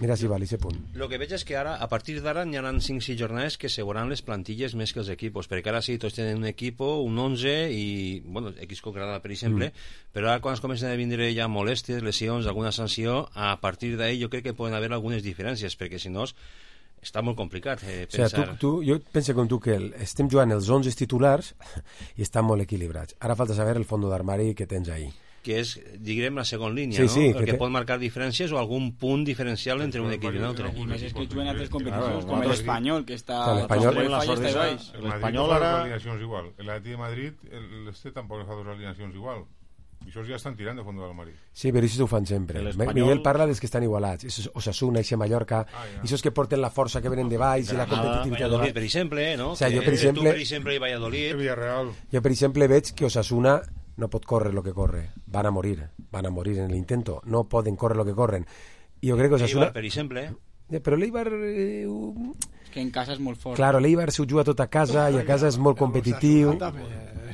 mira si val aquest punt. Lo que veig és que ara, a partir d'ara, n'hi ha cinc sis jornades que seguran les plantilles més que els equipos, perquè ara sí, tots tenen un equipo, un onze, i, bueno, X con Granada, per exemple, mm. però ara quan es comencen a vindre ja molèsties, lesions, alguna sanció, a partir d'ahí jo crec que poden haver algunes diferències, perquè si no, està molt complicat eh, O sigui, pensar... tu, tu, jo penso com tu que el, estem jugant els onze titulars i estan molt equilibrats. Ara falta saber el fons d'armari que tens ahí. Que és, diguem, la segona línia, sí, no? Sí, el que, que te... pot marcar diferències o algun punt diferencial entre un equip i un altre. I més és que juguen altres competicions, com l'Espanyol, que està... L'Espanyol l'Espanyol ara... alineacions igual. L'Atlètic de Madrid, l'Este tampoc fa dues alineacions igual. I això ja estan tirant de fons de l'armari. Sí, però això ho fan sempre. Miguel parla dels que estan igualats. Això és Osasuna, això Mallorca, ah, ja. Això és que porten la força que venen de baix i la competitivitat de baix. Per exemple, no? O sigui, jo, per exemple, exemple, tu, per exemple, i Valladolid... Villarreal. Jo, per exemple, veig que Osasuna no pot córrer lo que corre. Van a morir. Van a morir en l'intento. No poden córrer lo que corren. I jo crec que Osasuna... Eibar, per exemple... Eh, però l'Eibar... Eh, uh... És que en casa és molt fort. Claro, l'Eibar s'ho juga tot a casa i a casa és molt competitiu.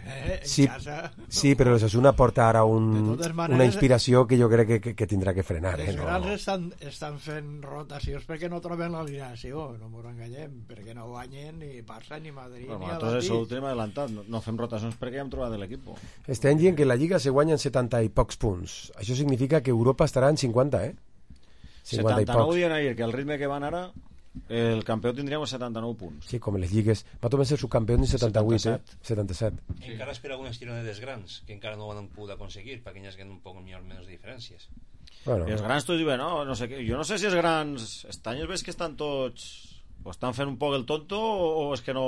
Eh, sí, casa, sí, però l'Osasuna porta ara un, maneres, una inspiració que jo crec que, que, que tindrà que frenar. Els eh, no? grans estan, estan fent rotacions perquè no troben l'alineació, no m'ho enganyem, perquè no guanyen ni Barça ni Madrid bueno, ni nosaltres això ho tenim adelantat, no, no fem rotacions perquè ja hem trobat l'equip. Estem dient que la Lliga se guanyen setanta i pocs punts. Això significa que Europa estarà en cinquanta, eh? cinquanta setanta-nou dient ahir que el ritme que van ara el campió tindríem setanta-nou punts. Sí, com les lligues. Va tomar ser subcampió en setanta-vuit, eh? setanta-set. Sí. Encara espera algunes tironedes grans que encara no ho han pogut aconseguir perquè hi ha un poc millor menys diferències. Bueno. I els grans tots diuen, no, no sé què. Jo no sé si els grans estan anys ves que estan tots o estan fent un poc el tonto o és que no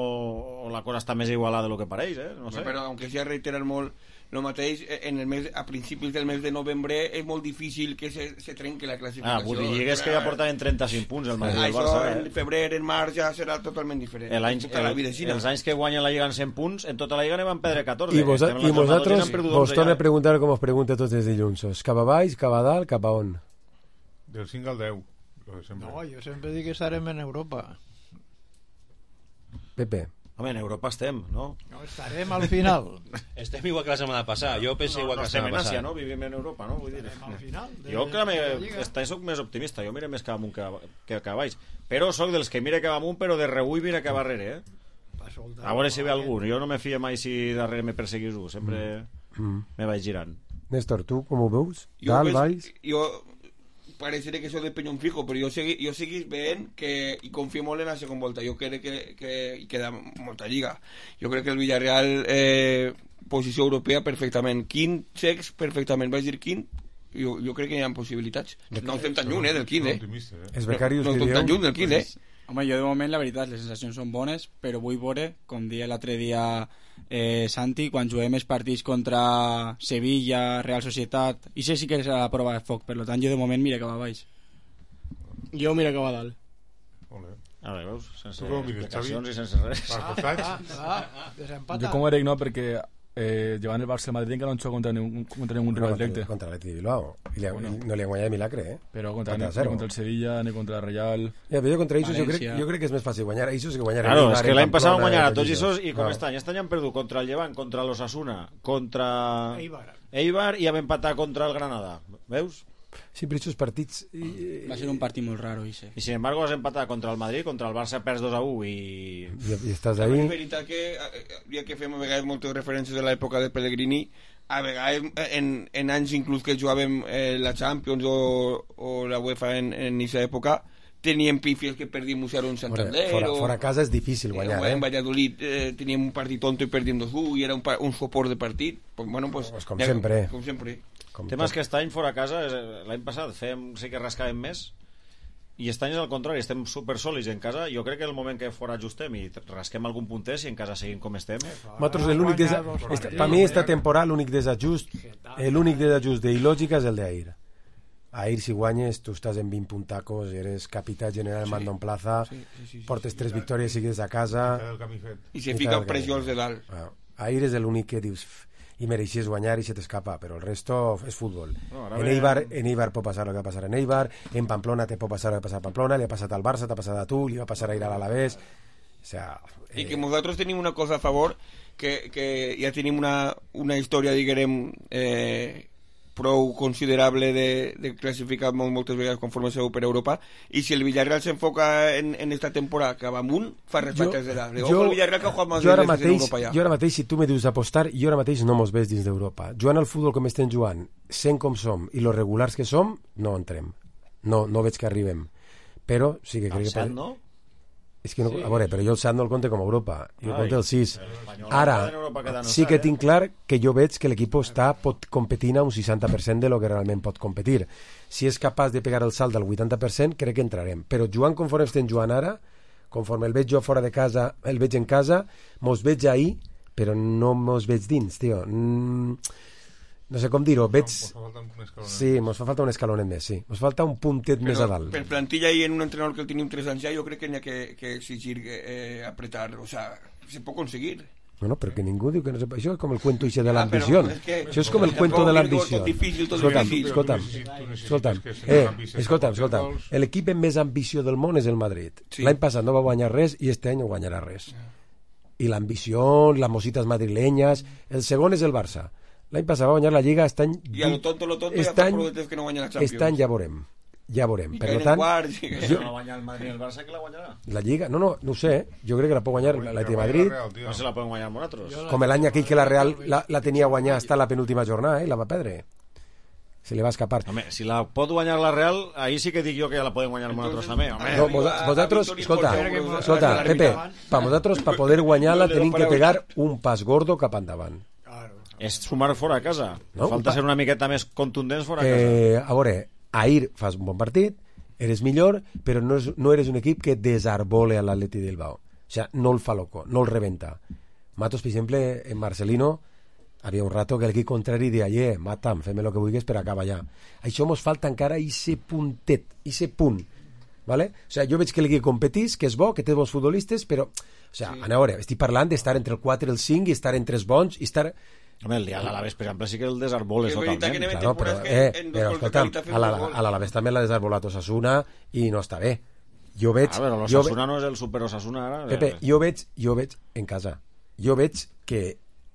o la cosa està més igualada de lo que pareix, eh? No sé. Però aunque sea reiterar molt el mateix, en el mes, a principis del mes de novembre és molt difícil que se, se trenque la classificació. Ah, vull dir, lligues que ja portaven trenta-cinc punts el Madrid i el Barça. Això en febrer, en març ja serà totalment diferent. El any, el, els anys que guanyen la Lliga en cent punts, en tota la Lliga ne van perdre catorze. I, vos, i vosaltres vos torna a preguntar com us pregunta tots els dilluns. Cap a baix, cap a dalt, cap a on? Del cinc al deu. No, jo sempre dic que estarem en Europa. Pepe. Home, en Europa estem, no? No, estarem al final. Estem igual que la setmana passada. Jo penso no, igual no que la setmana passada. Estem en Àsia, no? Vivim en Europa, no? Vull dir. Estarem al final. De, jo que me, esta, soc més optimista. Jo mire més cap amunt que, que, que baix. Però soc dels que mire cap amunt, però de rebull mira cap darrere, eh? A veure si ve algú. Jo no me fio mai si darrere me perseguís un. Sempre mm. me vaig girant. Néstor, tu com ho veus? Dalt, baix? Jo... Pareixeré que això de penyón fijo, però jo segui, jo seguís veient que, i confio molt en la segona volta. Jo crec que, que hi queda molta lliga. Jo crec que el Villarreal eh, posició europea perfectament, quint, sex perfectament, vaig dir quint, jo, jo crec que hi ha possibilitats. No estem tan lluny, eh, del quint, eh? Els becarius no estem tan lluny del quint, eh? Home, jo de moment la veritat, les sensacions són bones, però vull veure, com deia l'altre dia eh, Santi, quan juguem els partits contra Sevilla, Real Societat, i sé si que serà la prova de foc, per tant jo de moment mira cap a baix. Jo mira cap a dalt. A veure, veus? Sense explicacions i sense res. Ah, ah, ah, desempata. Jo com ho dic, no, perquè eh, llevant el Barça al Madrid encara no han jugat contra ningú, contra ningú rival directe. Contra l'Atlètic de Bilbao. I li, bueno. no li han guanyat de milagre, eh? Però contra, ni, ni contra el Sevilla, ni contra el Real... Ja, però jo contra ells jo crec, jo crec que és més fàcil guanyar a ells que guanyar a claro, és que l'any passat van guanyar a tots ells i com no. Estan? Este any han perdut contra el Llevant, contra l'Osasuna, contra Eibar. Eibar i han empatat contra el Granada. Veus? Sí, però aquests partits... I... Va ser un partit molt raro, ese. I sin embargo has empatat contra el Madrid, contra el Barça perds dos a u i... I, i estàs ahí... És veritat que, ja que fem a vegades moltes referències de l'època de Pellegrini, a vegades en, en anys inclús que jugàvem eh, la Champions o, o la UEFA en, en aquesta època, teníem pífies que perdíem un zero en Santander. Fora, o, fora casa és difícil guanyar, eh? eh? En Valladolid eh, teníem un partit tonto i perdíem dos u i era un, un soport de partit. Pues, bueno, pues, pues com ja, sempre. Com sempre. El tema és que aquest any fora a casa, l'any passat fèiem, sí que rascàvem més i aquest any és al contrari, estem super sòlids en casa. Jo crec que el moment que fora ajustem i rasquem algun punter si en casa seguim com estem. Nosaltres l'únic desa... per mi esta temporada l'únic desajust l'únic desajust d'il·lògica és el d'ahir. Ahir si guanyes tu estàs en vint puntacos, eres capità general, sí. Mando en plaza, sí, sí, sí, portes sí, tres victòries seguides a casa i se fica pressió als de dalt. Ah, ahir és l'únic que dius i mereixes guanyar i se t'escapa, però el resto és futbol. No, en, Eibar, en Eibar pot passar el que va passar en Eibar, en Pamplona te pot passar el que va passar a Pamplona, li ha passat al Barça, t'ha passat a tu, li va passar a ir a l'Alavés. O sea, eh... I que nosaltres tenim una cosa a favor, que, que ja tenim una, una història, diguem, eh, prou considerable de, de classificar molt, moltes vegades conforme seu per Europa, i si el Villarreal s'enfoca en, en esta temporada que va amunt, fa respectes de la... Jo, el Villarreal que ha jugat més veces en Europa ja. Jo ara mateix, si tu me dius apostar, jo ara mateix no mos ves dins d'Europa. Jugant al futbol com estem jugant, sent com som i los regulars que som, no entrem. No, no veig que arribem. Però sí que crec que... Set, no? És que no, Sí. a veure, però jo el set no el compte com a Europa, jo el Ai, compte el sis. l'Espanyol Ara, en Europa queda no sí està, que eh? tinc clar que jo veig que l'equip està, pot competir a un seixanta per cent de lo que realment pot competir. Si és capaç de pegar el salt del vuitanta per cent, crec que entrarem. Però jugant conforme estem jugant ara, conforme el veig jo fora de casa, el veig en casa, mos veig ahir, però no mos veig dins, tio. Mm, no sé com dir-ho, veig... Sí, mos fa falta un escalonet més, sí. Mos falta un puntet més a dalt. Per plantilla i en un entrenador que el tenim tres anys ja, jo crec que n'hi ha que, que exigir eh, apretar, o sea, se pot conseguir. Bueno, però que ningú diu que no se... Això és com el cuento ese de Ah, l'ambició. però és que- Això és com el tampoc cuento de digo l'ambició. tot difícil, tot Escolta'm, difícil. escolta'm, Tu necessites escolta'm, que sigui eh, ambiciós, escolta'm, que escolta'm. gols. L'equip amb més ambició del món és el Madrid. Sí. L'any passat no va guanyar res i este any no guanyarà res. I l'ambició, las mositas madrileñas... El segon és el Barça. L'any passat va guanyar la Lliga, aquest any... I a lo tonto, lo tonto, ja Este fa any, prou de temps que no guanya la Champions. este any ja veurem. Ja veurem. I Per caen en tant, quarts, i que- jo, No guanya el Madrid i el Barça, que la guanyarà? la Lliga, no, no, no ho sé, eh? Jo crec que la pot guanyar l'Atleti de Madrid, No se la poden guanyar amb nosaltres. com l'any aquell que la Real la, la tenia guanyar hasta la penúltima jornada, eh? I la va perdre. Se li va escapar. Home, si la pot guanyar la Real, ahí sí que dic jo que la podem guanyar amb nosaltres també. Home. No, vos, vosaltres, escolta, escolta, Pepe, per vosaltres, per poder guanyar-la, tenim que pegar un pas gordo cap endavant. És sumar fora a casa. No, Falta pa- ser una miqueta més contundents fora a casa. Eh, a veure, ahir fas un bon partit, eres millor, però no, és, no eres un equip que desarbole a l'Atleti de Bilbao. O sea, no el fa loco, no el rebenta. Matos, per exemple, en Marcelino, havia un rato que l'equip contrari deia, eh, matam, fem el que vulguis per acabar ja. Això mos falta encara ese puntet, ese punt. ¿Vale? O sea, jo veig que l'equip competís, que és bo, que té bons futbolistes, però, o sea, sí. a veure, estic parlant d'estar entre el quatre i el cinc, i estar entre els bons, i estar... Home, el dia de l'Alaves, per exemple, sí que el desarboles Que veritat totalment. que Claro, però, que eh, en dos però gols de escolta'm, qualitat fem a la- dos gols. a l'Alavés també l'ha desarbolat Osasuna i no està bé. Jo veig... Ah, però jo l'Osasuna no és el super Osasuna ara. Pepe, jo veig, jo veig en casa, jo veig que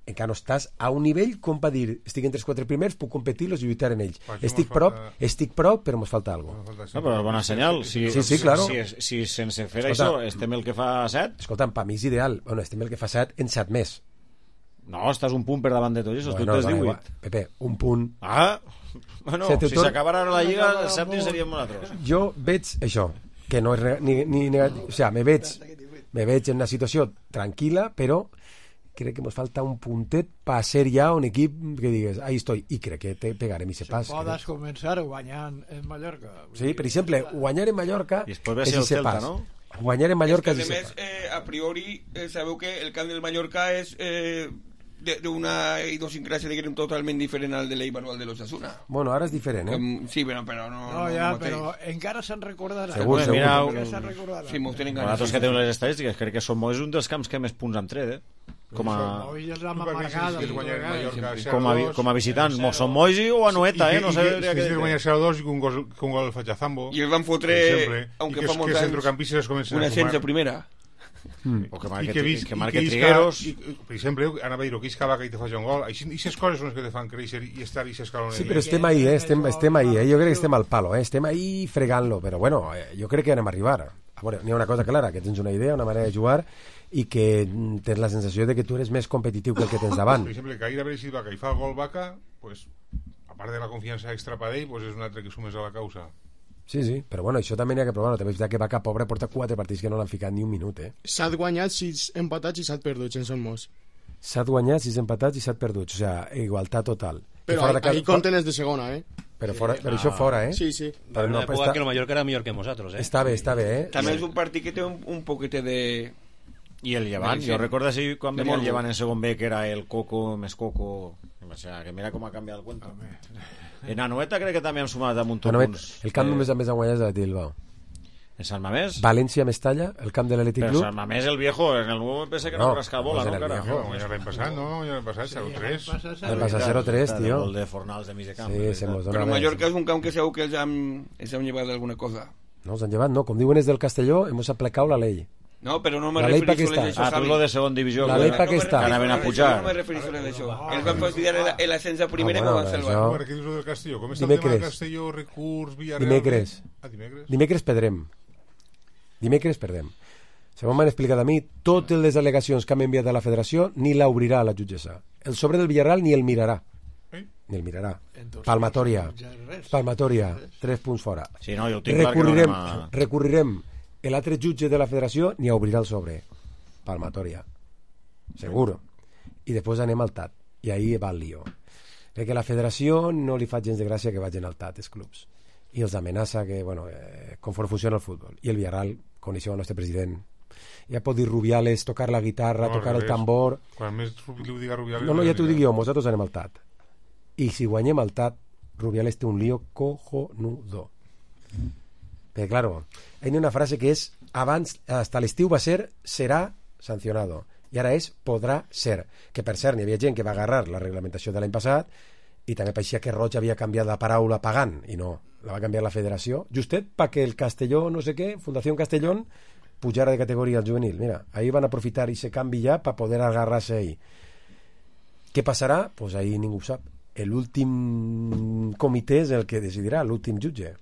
encara no estàs a un nivell com per dir, estic entre els quatre primers, puc competir-los i lluitar en ells. Aquí Estic mos prop, falta- estic prop, però mos falta algo. No, però és bona senyal. Si, Sí, sí, claro. Si, si, si sense fer Escolta, això estem el que fa set... Escolta'm, per mi és ideal. Bueno, estem el que fa set en set més. No, estàs un punt per davant de tots això, Bueno, tu tens dona divuit. igual. Pepe, un punt. Ah, bueno, Se te si tor- s'acabara ara la Lliga, els sèptims seríem nosaltres. Jo veig això, que no és re- ni, ni negatiu. O sea, me veig, me veig en una situació tranquil·la, però crec que ens falta un puntet per ser ja un equip que digues, ahí estoy, i crec que te pegarem i se pas. Podes començar guanyant en Mallorca. Sí, per exemple, guanyar en Mallorca I després ve és ser el ese Celta, pas. no? Guanyar en Mallorca és és que, a ese més, pas. eh, a priori, eh, sabeu que el camp del Mallorca és eh, de- d'una idiosincràsia, diguem, totalment diferent al de l'Eibar o al de l'Osasuna. Bueno, ara és diferent, eh? Um, sí, però, però no... No, ja, no mateix. però encara se'n recordarà. Segur, segur. Mira, Encara se'n recordarà. Sí, mos tenen ganes. Nosaltres que tenim les estadístiques, crec que som és un dels camps que més punts han tret, eh? Com a, Hoy és la Tu per mi, si amargada. hagués guanyat Mallorca com a, vi- com a visitant. Mo som Moisi o Anoeta, eh? No sé si hagués guanyat zero dos i que un gol, que un gol el faig a Zambo. I el van fotre, per exemple, aunque i que, fa els- molts que els anys, centrocampistes es comencen un a ascens sumar. a primera. Mm. O que I marque, que, vis, que i marque que isca- Trigueros. i, per exemple, anava a dir-ho, que isca vaca i te faci un gol. I aquestes coses són les que te fan créixer i estar i s'escalonar. Sí, però estem ahí, eh? estem, estem ahí, eh? Jo crec que estem al palo, eh? Estem ahí fregant-lo, però bueno, eh, jo crec que anem a arribar. A veure, n'hi ha una cosa clara, que tens una idea, una manera de jugar, i que mm, tens la sensació de que tu eres més competitiu que el que tens davant. Per exemple, que ahir haver sigut vaca i fa el gol vaca, pues, a part de la confiança extra per ell, pues és un altre que sumes a la causa. Sí, sí, però bueno, això també n'hi ha que provar-ho. També és veritat que Vaca Pobre porta quatre partits que no l'han ficat ni un minut, eh? Set guanyats, sis empatats i set perduts en Son Mos. Set guanyats, sis empatats i set perduts. O sigui, igualtat total. Però Fora de ahí, casa- ahí compten els de segona, eh? Però, fora, però això fora, eh? Sí, sí. Però En una no, època està, que el Mallorca era millor que nosaltres, eh? està bé, està bé, eh? També és un partit que té un, un poquete de... I el Llevant, Sí. jo recordo així quan De venia el morbo. Llevant en segon B, que era el Coco més Coco. O sea, que mira com ha canviat el cuento. En Anoeta crec que també han sumat damunt tot Bueno, punts. el camp Eh, només a més ha guanyat és el Bilbao. En Sant Mamés? València, Mestalla, el camp de l'Atlètic Però Club. Sant Mamés, el viejo, en el nuevo pensé que no, No, no rascava bola, pues no, en el cara? viejo. No, ja l'any passat, no? Ja l'any passat, zero tres. El passa zero tres, El tio. gol de Fornals de mig de camp. Sí, se mos dona Però res. Mallorca és un camp que segur que els han, els han llevat alguna cosa. No, els han llevat, no. Com diuen és del Castelló, hemos aplicado la ley. No, però no me La ley pa refereixo què a està? això, Ah, tu Javi. lo de segon divisió. La que- ley pa què que està? anaven a No pujar. me refereixo a això. Els van fastidiar el- l'ascens a primera i Ah, me bueno, van salvar. això- Per què dius lo del Castelló? Com està el Dimecres. tema del Castelló, recurs, Villarreal... Dimecres. Ah, dimecres? Dimecres perdrem. Dimecres perdem. Segons m'han explicat a mi, totes les al·legacions que han enviat a la federació ni l'obrirà la jutgessa. El sobre del Villarreal ni el mirarà. Eh? Ni el mirarà. Entonces, Palmatòria. ja res. Palmatòria. Tres punts fora. Sí, no, jo ho tinc clar que no Recurrirem, anem a... recurrirem l'altre jutge de la federació ni obrirà el sobre. Palmatoria. Seguro. I després anem al T A T. I ahí va el lío. Perquè la federació no li fa gens de gràcia que vagin al T A T, els clubs. I els amenaça que, bueno, eh, conforme funciona el futbol. I el Villarreal, com diu el nostre president, ja pot dir Rubiales, tocar la guitarra, no, tocar el tambor... Quan més li ho diga Rubiales... No, no, ja t'ho dic jo, nosaltres anem al T A T. I si guanyem al T A T, Rubiales té un lío cojonudo. Perquè, claro, hi ha una frase que és abans, hasta l'estiu va ser, serà sancionado. I ara és, podrà ser. Que, per cert, n'hi havia gent que va agarrar la reglamentació de l'any passat i també pareixia que Roig havia canviat la paraula pagant, i no, la va canviar la federació, justet perquè el Castelló, no sé què, Fundació Castellón, pujara de categoria al juvenil. Mira, ahí van aprofitar i se canvi ja per poder agarrar-se ahí. Què passarà? Pues ahí ningú ho sap. L'últim comitè és el que decidirà, l'últim jutge.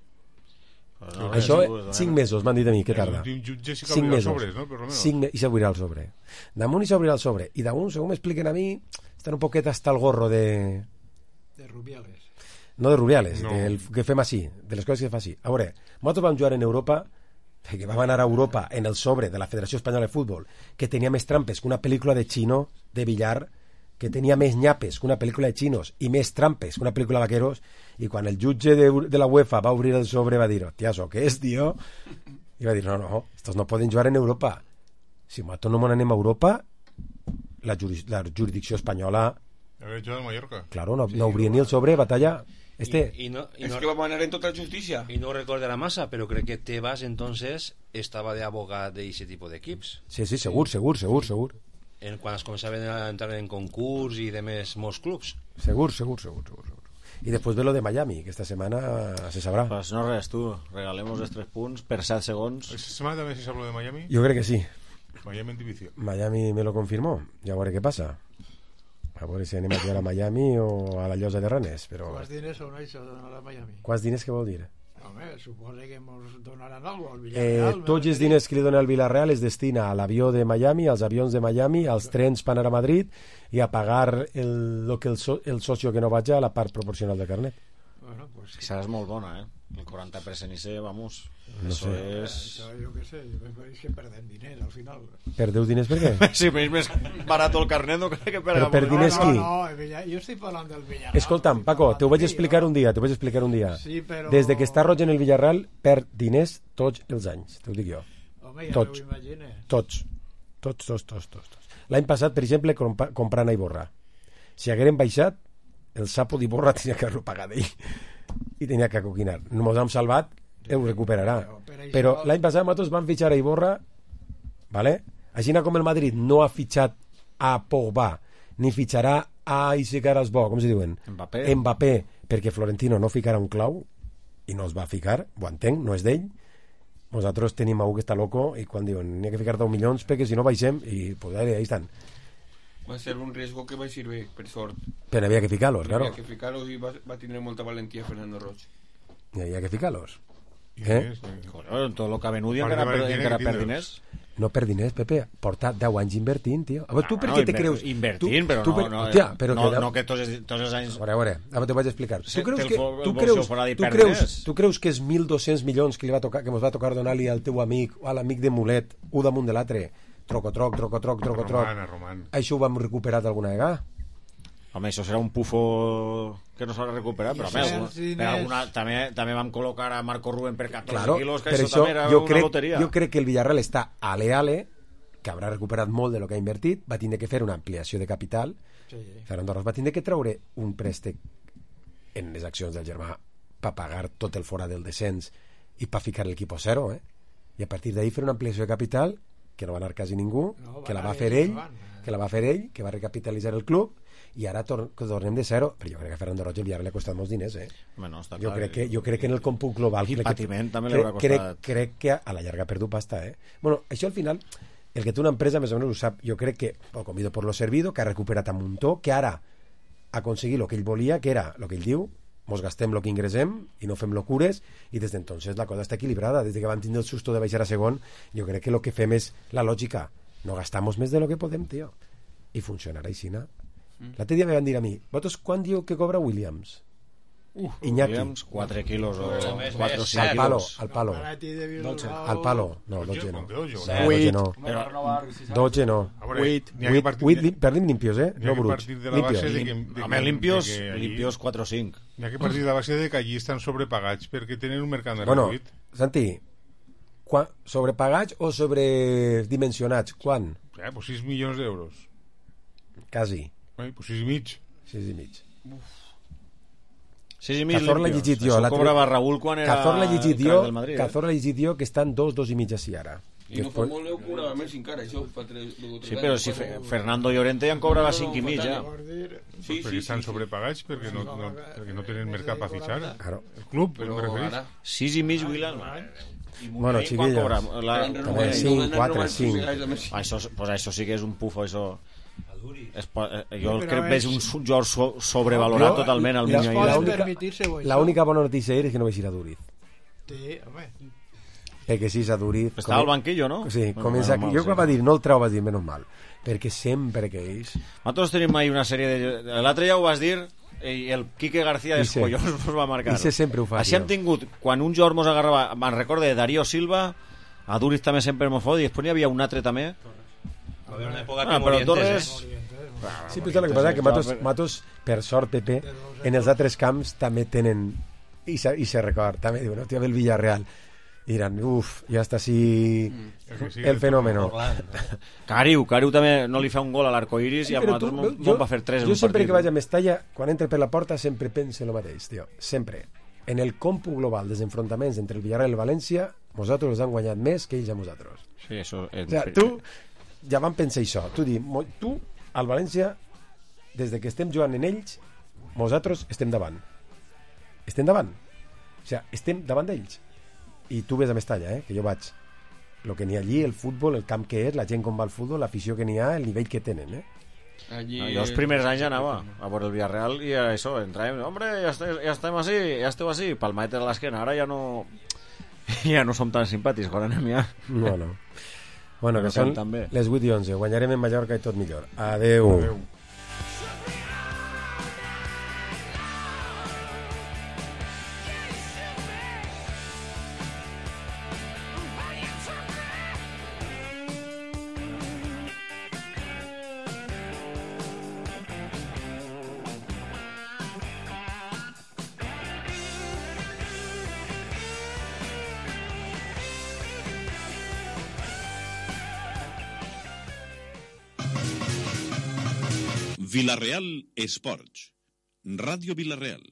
No, això, cinc mesos m'han dit a mi que tarda. L'últim jutge sí que obrirà els sobres, no? Per lo menos. Cinc, i s'obrirà el sobre. Damunt i s'obrirà el sobre. I damunt, segons m'expliquen a mi, estan un poquet hasta el gorro de... De Rubiales. No de Rubiales, no. Del que fem així, de les coses que fa així. A veure, nosaltres vam jugar en Europa, que vam anar a Europa en el sobre de la Federació Espanyola de Futbol, que tenia més trampes que una pel·lícula de xino, de billar, que tenia més nyapes que una pel·lícula de xinos i més trampes que una pel·lícula de vaqueros, i quan el jutge de, de la UEFA va obrir el sobre va dir, hòstia, això què és, tio? I va dir, no, no, estos no poden jugar en Europa. Si nosaltres no anem a Europa, la, juris, la jurisdicció espanyola... Haver jugat a Mallorca. Claro, no, no obria ni el sobre, batalla... Este... Y, y no, y es no, que vamos a ganar en total justicia. Y no recordará masa, pero creo que Tebas entonces estaba de abogado de ese tipo de equipos. Sí, sí, segur, segur, segur, segur. En, quan es començaven a entrar en concurs i de més molts clubs. Segur, segur, segur, segur, segur. I després ve lo de Miami, que esta setmana se sabrà. Pues no res, tu, regalemos els tres punts per set segons. ¿Esta semana també se sabrà de Miami? Jo crec que sí. Miami en divisió. Miami me lo confirmó, ja veuré què passa. A veure si anem a jugar a Miami o a la Llosa de Ranes, però... Quants diners són això de donar a Miami? Quants diners què vol dir? Home, suposa que ens donaran alguna cosa al Villarreal. Eh, tots els diners que li dona el Villarreal es destina a l'avió de Miami, als avions de Miami, als trens per anar a Madrid i a pagar el, lo que el, so, el socio que no vaig a la part proporcional de carnet. Bueno, pues sí. Esa és molt bona, eh? El quaranta per cent i se, vamos, no eso sé. és... Això, jo què sé, és que perdem diners al final. Perdeu diners per què? Si és més barat el carnet, no crec que perdem. Però per diners no, qui? No, no, jo estic parlant del Villarreal. Escolta'm, Paco, te ho vaig explicar un dia, te ho vaig explicar un dia. Sí, però... Des de que està Roig en el Villarreal, perd diners tots els anys, t'ho dic jo. Home, ja tots. no ho imagines. Tots. Tots, tots, tots, tots. tots. L'any passat, per exemple, comp comprant a Iborra. Si hagueren baixat, el sapo d'Iborra tenia que haver-lo pagat ell. I tenia que coquinar. Nos hem salvat, ho recuperarà. Però l'any passat nosaltres vam fitxar a Iborra, ¿vale? Així com el Madrid no ha fitxat a Pogba, ni fitxarà a ese caras bo, com se diuen? Mbappé. Mbappé, perquè Florentino no ficarà un clau, i no es va ficar, ho entenc, no és d'ell. Nosaltres tenim algú que està loco, i quan diuen, n'hi ha que ficar deu milions, perquè si no baixem, i pues ahí estan. Va ser un riesgo que va servir, per sort. Pero había que ficarlos, claro. Había que ficarlos y va, va a tener molta valentía Fernando Roig. Y había que ficarlos. Eh? Joder, tot el que ha venut i encara, per, encara per diners. No per diners, Pepe. Porta deu anys invertint, tio. A veure, tu no, per què no, te creus... Invertint, però tu, no... per... No, Hòstia, però no, que... no que tots, tots els anys... A veure, a veure, ara t'ho vaig explicar. Sí, tu creus el que, fo, tu el creus, tu creus, tu creus que és mil dos-cents milions que li va tocar, que mos va tocar donar-li al teu amic o a l'amic de Mulet, un damunt de l'altre, troco, troc, troco, troc, troco, troc. Roman, Roman. Això ho vam recuperar d'alguna vegada? Home, això serà un pufo que no s'ha recuperat, però més, per alguna, també, també vam col·locar a Marco Rubén per catorze claro, quilos, que per això, això també era jo una crec, loteria. Jo crec que el Villarreal està ale-ale, que haurà recuperat molt de lo que ha invertit, va tindre que fer una ampliació de capital. Sí. Fernando Roig va tindre que treure un préstec en les accions del germà per pagar tot el fora del descens i per ficar l'equip a zero, eh? I a partir d'ahir fer una ampliació de capital que no va anar quasi ningú, no, que la va fer ell, que la va fer ell, que va recapitalitzar el club, i ara tor tornem de zero. Però jo crec que a Fernando Roig el Villarreal li ha costat molts diners, eh? Bueno, està jo, clar, crec que, jo crec que en el còmput global i patiment també crec, li haurà costat crec, crec que a la llarga ha perdut pasta, eh? Bueno, això al final, el que té una empresa més o menys ho sap. Jo crec que, o comido por lo servido, que ha recuperat a muntó, que ara ha aconseguit el que ell volia, que era el que ell diu, mos gastem el que ingressem i no fem locures, i des d'entonces la cosa està equilibrada. Des que vam tindre el susto de baixar a segon, jo crec que el que fem és la lògica, no gastamos més de lo que podem, tio, i funcionarà així, no? Mm. L'altre dia me van dir a mi, vosaltres quan diu que cobra Williams? Iñaki. quatre quilos o quatre o cinc Al palo, quilos. al palo. Al palo. No, Doge no. Huit. Doge no. Doge no. Huit. Huit, perdim limpios, eh? No bruts. Home, limpios, limpios quatre o cinc. N'hi ha que partir de la base de que allí estan sobrepagats perquè tenen un mercat Bueno, reduït. Santi, quan, sobrepagats o sobredimensionats? Quan? Eh, pues sis milions d'euros. Quasi. Eh, pues sis i mig. sis i mig. sis i mig Cazor l'ha limpios. llegit jo. Això cobrava Raúl quan era Cazor l'ha llegit crack jo, del Madrid. Cazor l'ha llegit jo, que estan dos, dos i mig així ara. I no fa molt l'heu cobrava més encara, això fa tres... Sí, però si Fe- Fernando Llorente ja en cobrava cinc i mig, ja. Sí, perquè estan sobrepagats perquè no, no, perquè no tenen mercat per fitxar. Claro. El club, Però me referís. ara... sis i mig, William. Bueno, chiquillos. També cinc, quatre, cinc. Això, pues això sí que és un pufo, això. Es, po- eh, jo Però crec que és- és un so- jugador so, sobrevalorat Jo- totalment al la- Miño. la ahir. única- La única bona notícia és que no vaig ir a Duriz. Sí, home. Perquè si és a Duriz... Estava al banquillo, no? Sí, Bueno, comença menys aquí. mal, Jo sí. quan va dir no el treu, va dir menys mal. Perquè sempre que ells... Nosaltres tenim mai una sèrie de... L'altre ja ho vas dir i el Quique García dels Ixe. collons us va marcar. Ixe sempre ho fa, Així tio. hem tingut, quan un jugador mos agarrava, me'n recorde de Darío Silva, a Duriz també sempre mos fot, i després n'hi havia un altre també. Va haver una època Ah, que però Morientes, Torres... eh? Sí, però el que passa és que Matos, Matos, per sort, Pepe, en els altres camps també tenen... I se, i se record, també diuen, hòstia, ve el Villarreal. I diran, uf, ja està així el fenòmeno. Cariu, Cariu també no li fa un gol a l'Arcoiris i a Però nosaltres tu, mos jo, mos va fer tres en jo un sempre partit. que vaig a Mestalla, quan entre per la porta, sempre penso el mateix, tio. Sempre. En el còmput global dels enfrontaments entre el Villarreal i el València, nosaltres els han guanyat més que ells a nosaltres. Sí, això és... O sigui, tu ja vam pensar això. Tu di, mo- tu, al València, des de que estem jugant en ells, nosaltres estem davant. Estem davant. O sigui, estem davant d'ells. I tu ves a Mestalla, eh, que jo vaig. El que n'hi ha allí, el futbol, el camp que és, la gent com va al futbol, l'afició que n'hi ha, el nivell que tenen, eh? Allí... No, jo els primers anys anava a veure el Villarreal i això, entràvem, hombre, ja, estem, ja estem així, ja esteu així, palmadet a l'esquena, ara ja no ja no som tan simpàtics quan anem ja. No, no. Bueno, que Però són també. les vuit i onze. Guanyarem en Mallorca i tot millor. Adeu. Adeu. Villarreal Esports. Ràdio Villarreal.